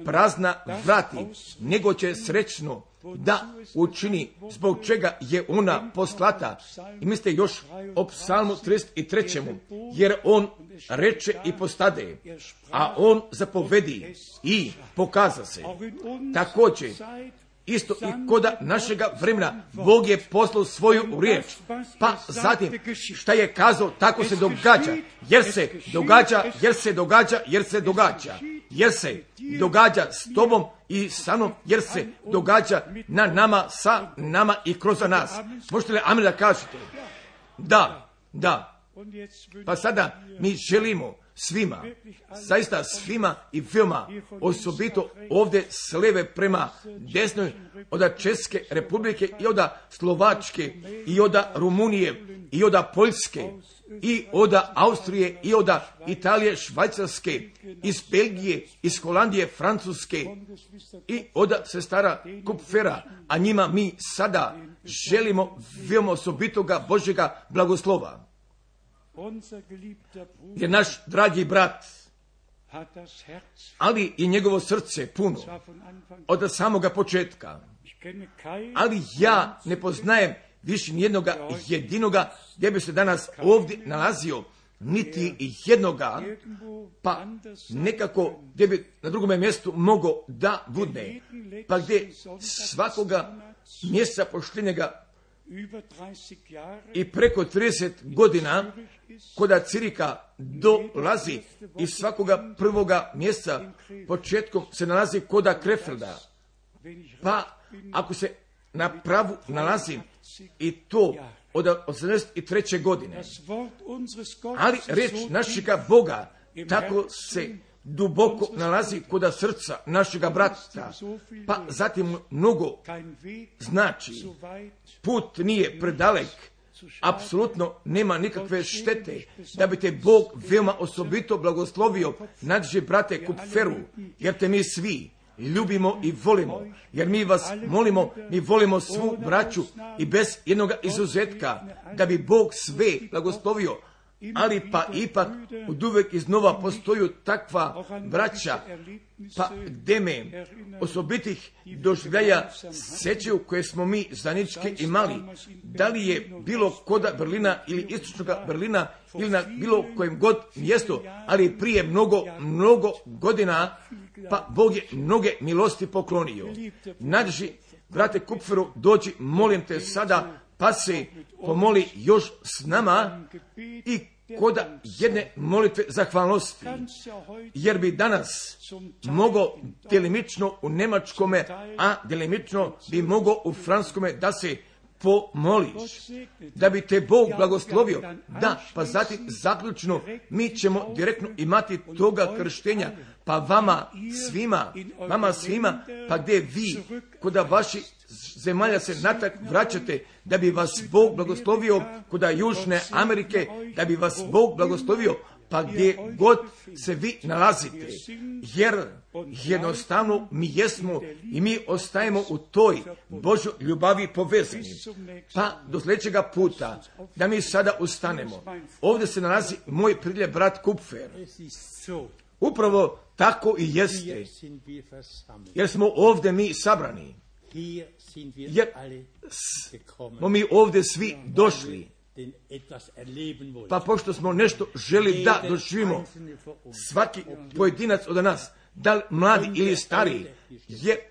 prazna vrati, nego će srećno da učini zbog čega je ona poslata. I mislite još o psalmu 33. jer on reče i postade, a on zapovedi i pokaza se. Također, isto i koda našega vremena, Bog je poslao svoju riječ, pa zatim šta je kazao, tako se događa, jer se događa s tobom i sa mnom, jer se događa na nama, sa nama i kroz nas. Možete li amen da kažete? Da. Pa sada mi želimo svima, zaista svima i veoma, osobito ovdje s leve prema desnoj, od Česke republike i od Slovačke i od Rumunije i od Poljske i od Austrije i od Italije, Švajcarske, iz Belgije, iz Holandije, Francuske i od sestara Kupfera, a njima mi sada želimo veoma osobitoga Božjega blagoslova. Jer naš dragi brat, ali i njegovo srce puno od samoga početka, ali ja ne poznajem više nijednoga jedinoga gdje bi se danas ovdje nalazio, niti jednoga, pa nekako gdje bi na drugome mjestu mogao da budne, pa gdje svakoga mjeseca poštenjega i preko 30 godina koda cirika dolazi iz svakoga prvoga mjeseca početkom se nalazi koda Krefelda, pa ako se na pravu nalazi i to od 83. godine, ali reč našega Boga tako se duboko nalazi koda srca našega brata, pa zatim mnogo znači, put nije predalek, apsolutno nema nikakve štete da bi te Bog veoma osobito blagoslovio nađe brate Kupferu, jer te mi svi ljubimo i volimo, jer mi vas molimo, mi volimo svu braću i bez jednoga izuzetka, da bi Bog sve blagoslovio, ali pa ipak oduvek iznova postoju takva braća, pa gdje me osobitih doživljaja sećaju koje smo mi zajednički imali, da li je bilo koda Berlina ili istočnoga Berlina ili na bilo kojem god mjestu, ali prije mnogo godina, pa Bog je mnoge milosti poklonio. Nađi, brate Kupferu, dođi, molim te sada, pa se pomoli još s nama i koda jedne molitve zahvalnosti, jer bi danas mogao delimično u njemačkome, a delimično bi mogao u franskome da se pomoliš, da bi te Bog blagoslovio. Da, pa zatim zaključno mi ćemo direktno imati toga krštenja, pa vama svima, pa gdje vi koda vaši zemalja se natrag vraćate, da bi vas Bog blagoslovio koda Južne Amerike, da bi vas Bog blagoslovio pa gdje god se vi nalazite, jer jednostavno mi jesmo i mi ostajemo u toj Božoj ljubavi povezani. Pa do sljedećega puta da mi sada ustanemo. Ovdje se nalazi moj priljev brat Kupfer. Upravo tako i jeste, jer smo ovdje mi sabrani, jer smo mi ovdje svi došli, pa pošto smo nešto želi da doživimo, svaki pojedinac od nas, da li mladi ili stariji, je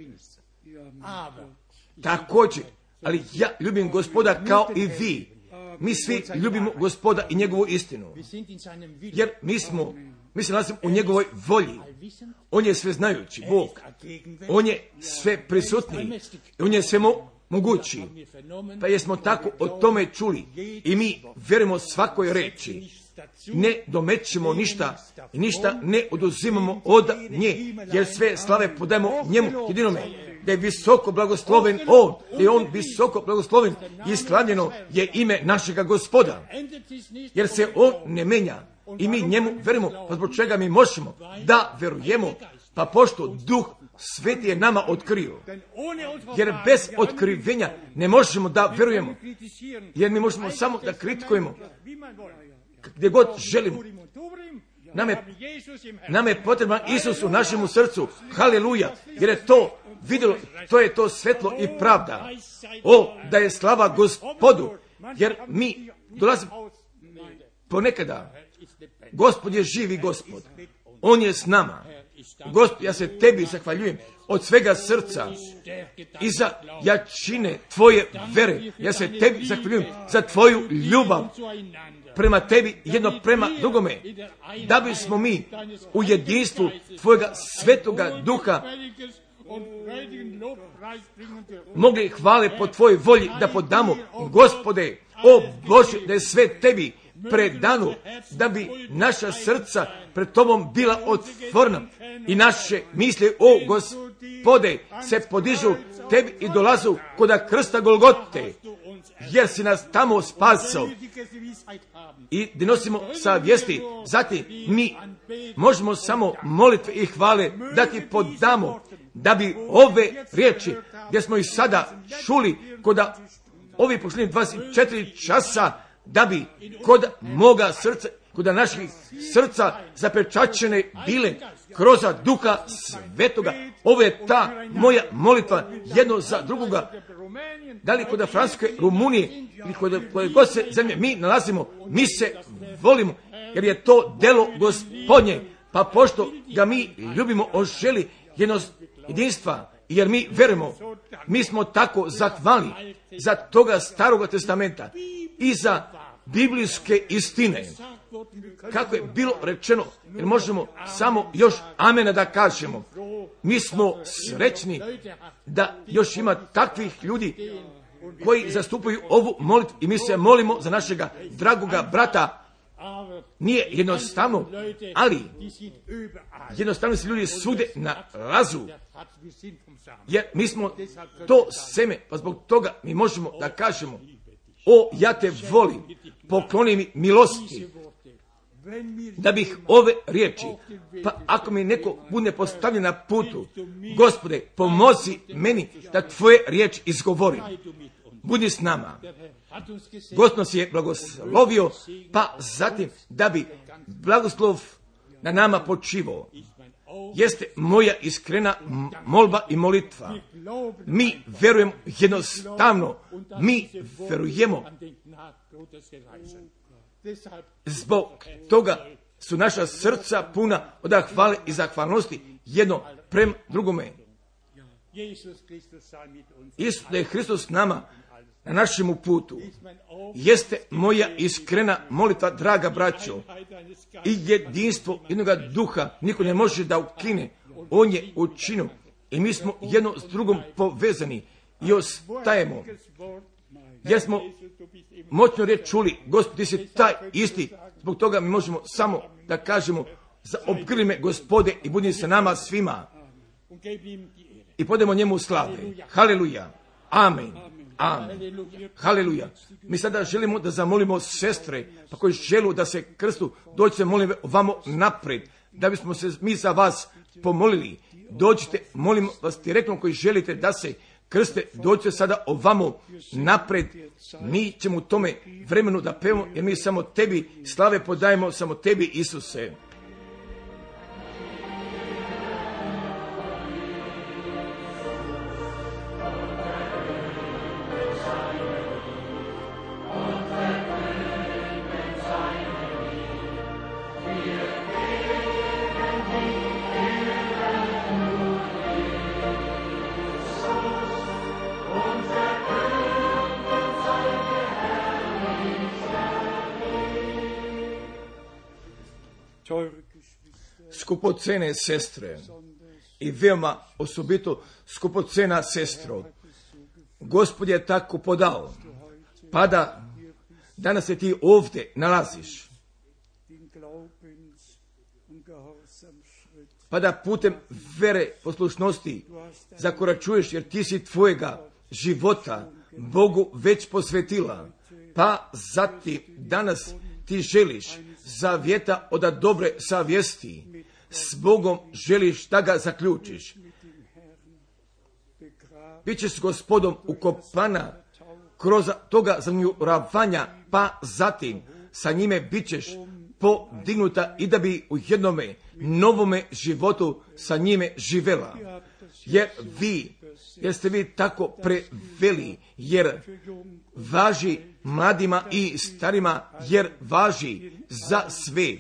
također, ali ja ljubim Gospoda kao i vi. Mi svi ljubimo Gospoda i njegovu istinu, jer mi smo Mi se nalazimo u njegovoj volji. On je sveznajući Bog. On je sve prisutni. On je sve mogući. Pa jesmo tako o tome čuli i mi vjerujemo svakoj reči. Ne domećemo ništa i ništa ne oduzimamo od nje, jer sve slave podajemo njemu jedinome. Da je visoko blagosloven on, da je on visoko blagosloven i slavljeno je ime našega Gospoda. Jer se on ne menja i mi njemu vjerujemo, pa zbog čega mi možemo da vjerujemo, pa pošto Duh Sveti je nama otkrio. Jer bez otkrivenja ne možemo da vjerujemo, jer mi možemo samo da kritikujemo gdje god želimo. Nam je potreban Isus u našemu srcu. Haleluja. Jer je to vidjelo, to je to svetlo i pravda. O, da je slava Gospodu. Jer mi dolazimo ponekada. Gospod je živi Gospod. On je s nama. Gospod, ja se tebi zahvaljujem od svega srca i za jačine tvoje vere. Ja se tebi zahvaljujem za tvoju ljubav prema tebi, jedno prema drugome, da bismo mi u jedinstvu tvojega svetoga duha mogli hvale po tvojoj volji da podamo. Gospode, o Bože, da je sve tebi predano, da bi naša srca pred tobom bila otvorena i naše misli, o Gospode, se podižu tebi i dolazu kod krsta Golgote, jer si nas tamo spasao i da nosimo savjesti. Zatim mi možemo samo molitve i hvale da ti podamo, da bi ove riječi gdje smo ih sada čuli kod ovih posljednjih 24 časa, da bi kod moga srca, kod naših srca zapečaćene bile kroz Duha Svetoga. Ovo je ta moja molitva jedno za drugoga. Da li kod Francuske, Rumunije ili kod koje god se zemlje mi nalazimo, mi se volimo, jer je to delo Gospodnje. Pa pošto ga mi ljubimo, on želi jedinstva, jer mi verujemo, mi smo tako zahvalni za toga Staroga testamenta i za biblijske istine. Kako je bilo rečeno, jer možemo samo još amena da kažemo. Mi smo srećni da još ima takvih ljudi koji zastupaju ovu molitvu i mi se molimo za našega dragoga brata. Nije jednostavno, ali jednostavno se ljudi sude na razu, jer mi smo to seme, pa zbog toga mi možemo da kažemo: o, ja te volim, pokloni mi milosti, da bih ove riječi, pa ako mi neko bude postavljen na putu, Gospode, pomozi meni da tvoje riječi izgovorim. Budi s nama. Gospod nas je blagoslovio, pa zatim da bi blagoslov na nama počivao. Jeste moja iskrena molba i molitva. Mi verujemo jednostavno, mi verujemo. Zbog toga su naša srca puna od hvale i zahvalnosti jedno prema drugome. Isus da je Hristos s nama na našemu putu. Jeste moja iskrena molitva, draga braćo, i jedinstvo jednoga duha niko ne može da ukine. On je učinio i mi smo jedno s drugom povezani i ostajemo. Jer smo moćno riječ čuli: Gospod, ti si taj isti. Zbog toga mi možemo samo da kažemo: zaobgrli me, Gospode, i budi sa nama svima. I podemo njemu slave. Haleluja. Amen. Amen. Haleluja. Mi sada želimo da zamolimo sestre, pa koji želu da se krstu, dođite, molim vamo napred, da bismo se mi za vas pomolili. Dođite, molim vas direktno koji želite da se krste, dođite sada ovamo napred. Mi ćemo u tome vremenu da pevamo, jer mi samo tebi slave podajemo, samo tebi, Isuse. skupocene sestre i veoma osobito skupocena sestro, Gospod je tako podao, pa da danas se ti ovdje nalaziš, pa da putem vere poslušnosti zakoračuješ, jer ti si tvojega života Bogu već posvetila, pa zatim danas ti želiš zavjeta od dobre savjesti, s Bogom želiš da ga zaključiš. Bićeš s Gospodom ukopana kroz toga zanjuravanja, pa zatim sa njime bićeš podignuta i da bi u jednome novome životu sa njime živela. Jer ste vi tako preveli, jer važi mladima i starima, jer važi za sve,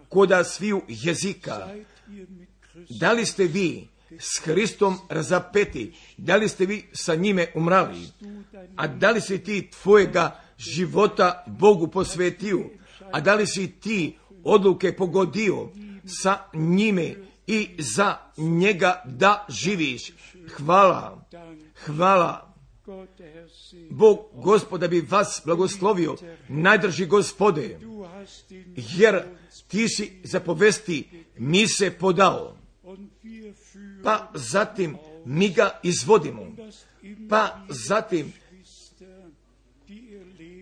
koda sviju jezika. Da li ste vi s Hristom razapeti, da li ste vi sa njime umrali, a da li si ti tvojega života Bogu posvetio, a da li si ti odluke pogodio sa njime i za njega da živiš. Hvala. Bog Gospoda bi vas blagoslovio, najdrži Gospode, jer ti si zapovesti mi se podao, pa zatim mi ga izvodimo, pa zatim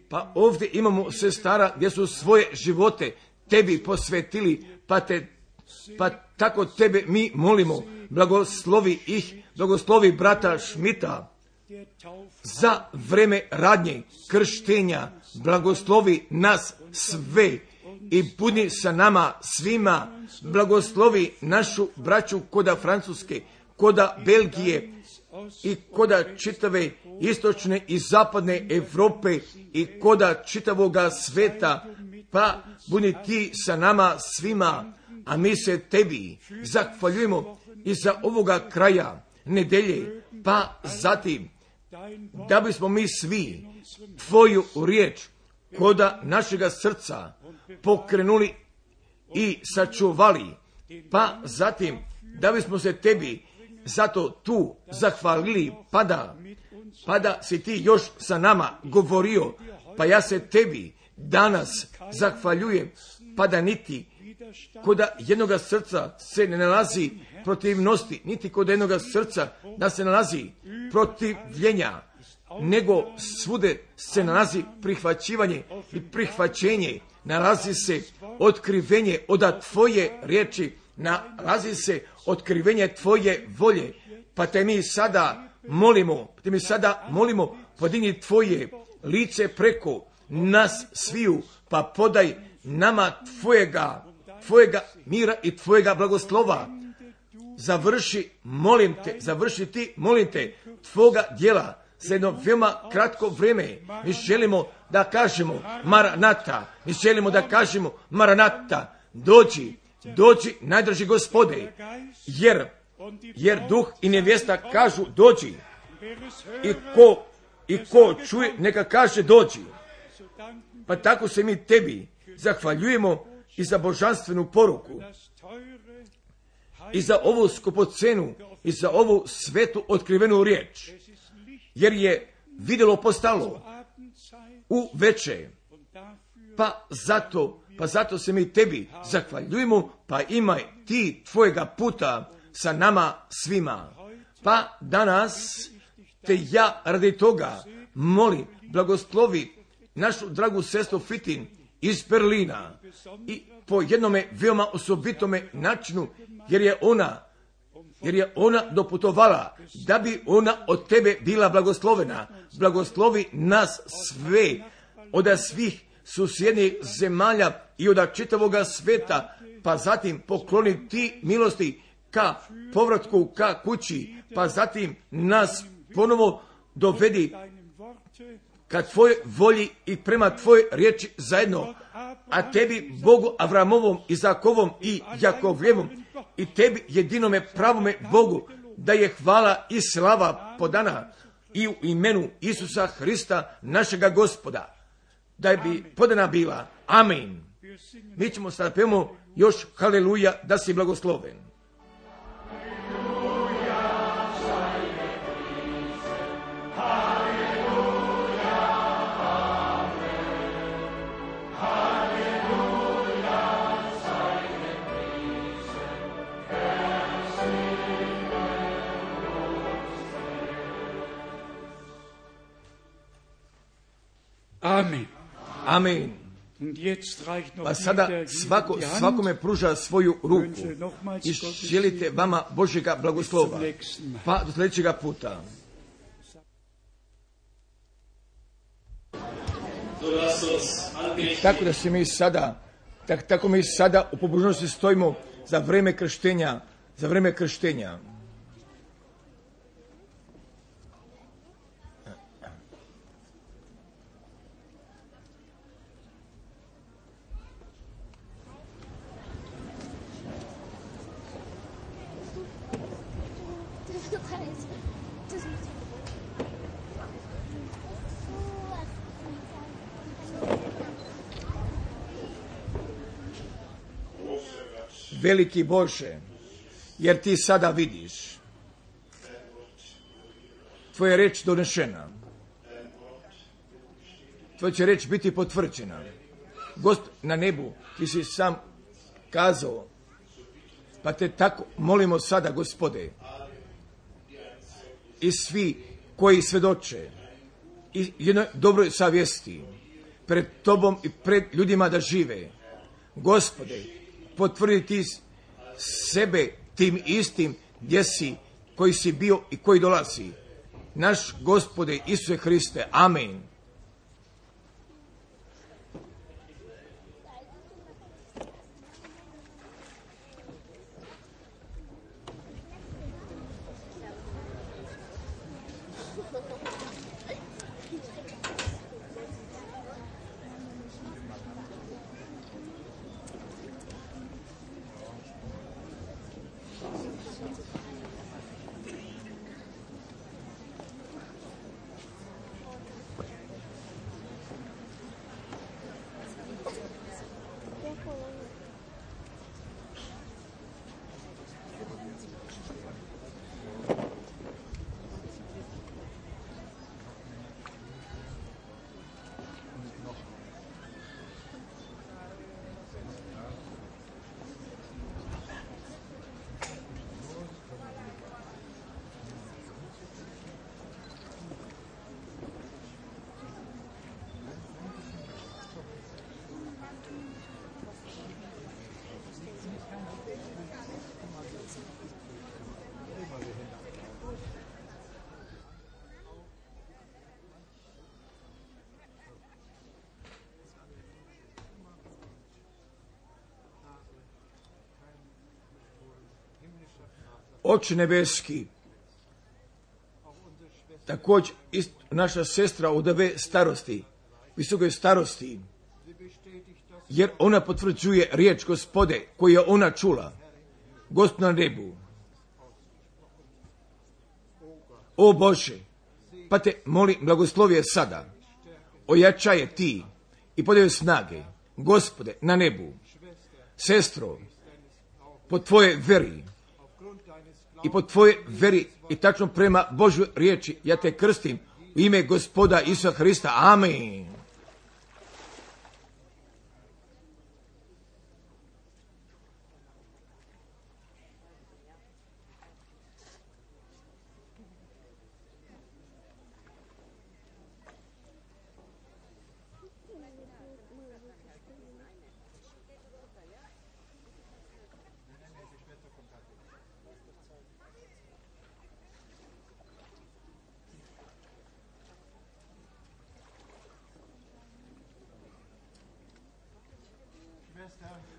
pa ovdje imamo sestara gdje su svoje živote tebi posvetili, pa tako tebe mi molimo, blagoslovi ih, blagoslovi brata Šmita za vreme radnje krštenja, blagoslovi nas sve i budi sa nama svima, blagoslovi našu braću koda Francuske, koda Belgije i koda čitave istočne i zapadne Europe i koda čitavoga sveta, pa budi ti sa nama svima, a mi se tebi zahvaljujemo i za ovoga kraja nedelje, pa zatim da bismo mi svi tvoju riječ koda našega srca pokrenuli i sačuvali, pa zatim da bismo se tebi zato tu zahvalili, pa da si ti još sa nama govorio, pa ja se tebi danas zahvaljujem, pa da niti koda jednoga srca se ne nalazi protivnosti, niti kod jednoga srca da se nalazi protivljenja, nego svude se nalazi prihvaćivanje i prihvaćenje, nalazi se otkrivenje od tvoje riječi, nalazi se otkrivenje tvoje volje, pa te mi sada molimo, podigni tvoje lice preko nas sviju, pa podaj nama tvojega mira i tvojega blagoslova. Završi ti, molim te, tvoga djela za jedno veoma kratko vrijeme. Mi želimo da kažemo Maranata, dođi, najdrži Gospode, jer duh i nevjesta kažu dođi, i ko čuje neka kaže dođi. Pa tako se mi tebi zahvaljujemo i za božanstvenu poruku, i za ovu skupocenu, i za ovu svetu otkrivenu riječ, jer je vidjelo postalo u veče, pa zato se mi tebi zahvaljujemo, pa imaj ti tvojega puta sa nama svima. Pa danas te ja radi toga molim, blagoslovi našu dragu sestru Fitin iz Berlina i po jednome veoma osobitome načinu, jer je ona doputovala da bi ona od tebe bila blagoslovena. Blagoslovi nas sve od svih susjednih zemalja i od čitavoga sveta, pa zatim pokloni ti milosti ka povratku ka kući, pa zatim nas ponovo dovedi ka tvojoj volji i prema tvojoj riječi zajedno, a tebi Bogu Avramovom, Izakovom i Jakovljevom i tebi jedinome pravome Bogu da je hvala i slava podana i u imenu Isusa Hrista našega Gospoda, da bi podana bila. Amin. Mi ćemo sada pevamo Još haleluja da si blagosloven. Amen. Amen. Pa sada svakome pruža svoju ruku i želite vama Božjega blagoslova. Pa do sljedećega puta. Tako da se mi sada, tako mi sada u pobožnosti stojimo za vrijeme krštenja. Veliki Bože, jer ti sada vidiš, tvoja reč donešena, tvoja će reč biti potvrđena. Gospod na nebu, ti si sam kazao, pa te tako molimo sada, Gospode, i svi koji svedoče i jednoj dobroj savjesti pred tobom i pred ljudima da žive. Gospode, potvrdi ti sebe tim istim gdje si, koji si bio i koji dolazi. Naš Gospode Isuse Hriste. Amen. Oče nebeski, također naša sestra od ove starosti, visoke starosti, jer ona potvrđuje riječ Gospode koju je ona čula, Gospod na nebu. O Bože, pa te molim, blagoslovije sada, ojačaje ti i podaju snage, Gospode, na nebu. Sestro, po tvoje veri i po tvoje veri i tačno prema Božoj riječi, ja te krstim u ime Gospoda Isusa Hrista. Amen.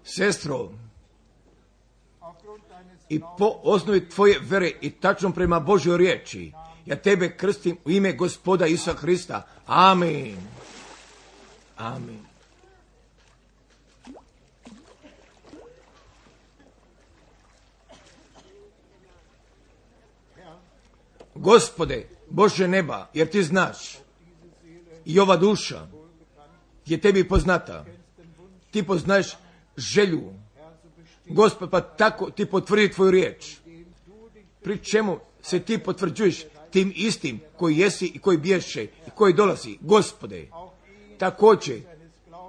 Sestro, i po osnovi tvoje vere i tačno prema Božoj riječi, ja tebe krstim u ime Gospoda Isusa Hrista. Amen. Amen. Gospode, Bože neba, jer ti znaš, i ova duša je tebi poznata. Ti poznaješ želju Gospod, pa tako ti potvrdi tvoju riječ. Pri čemu se ti potvrđuješ tim istim koji jesi i koji bješe i koji dolazi, Gospode, također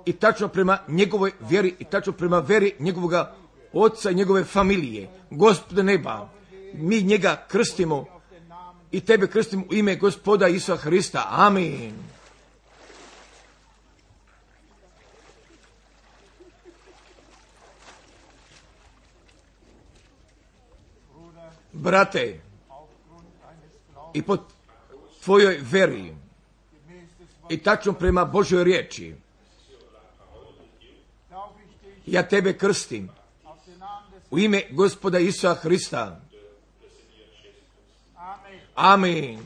i tačno prema njegovoj vjeri i tačno prema vjeri njegovoga oca i njegove familije. Gospode neba, mi njega krstimo i tebe krstimo u ime Gospoda Isusa Hrista. Amin. Brate, i po tvojoj veri i tačno prema Božoj riječi, ja tebe krstim u ime Gospoda Isusa Hrista. Amin.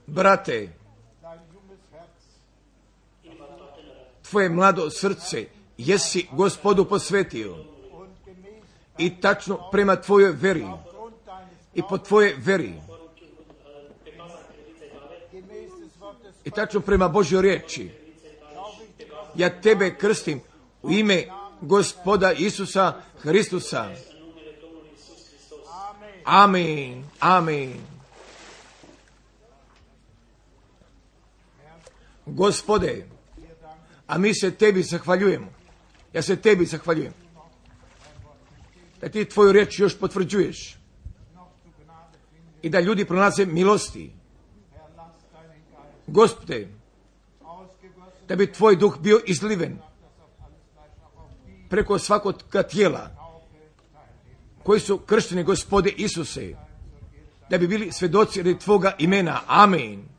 Brate, tvoje mlado srce jesi Gospodu posvetio i tačno prema tvojoj veri i po tvojoj veri i tačno prema Božjoj riječi, ja tebe krstim u ime Gospoda Isusa Hristusa. Amin. Amin. Gospode, a mi se tebi zahvaljujemo. Ja se tebi zahvaljujem. Da ti tvoju riječ još potvrđuješ. I da ljudi pronalaze milosti. Gospode, da bi tvoj duh bio izliven preko svakog tijela koji su kršteni, Gospode Isuse, da bi bili svjedoci radi tvoga imena. Amin.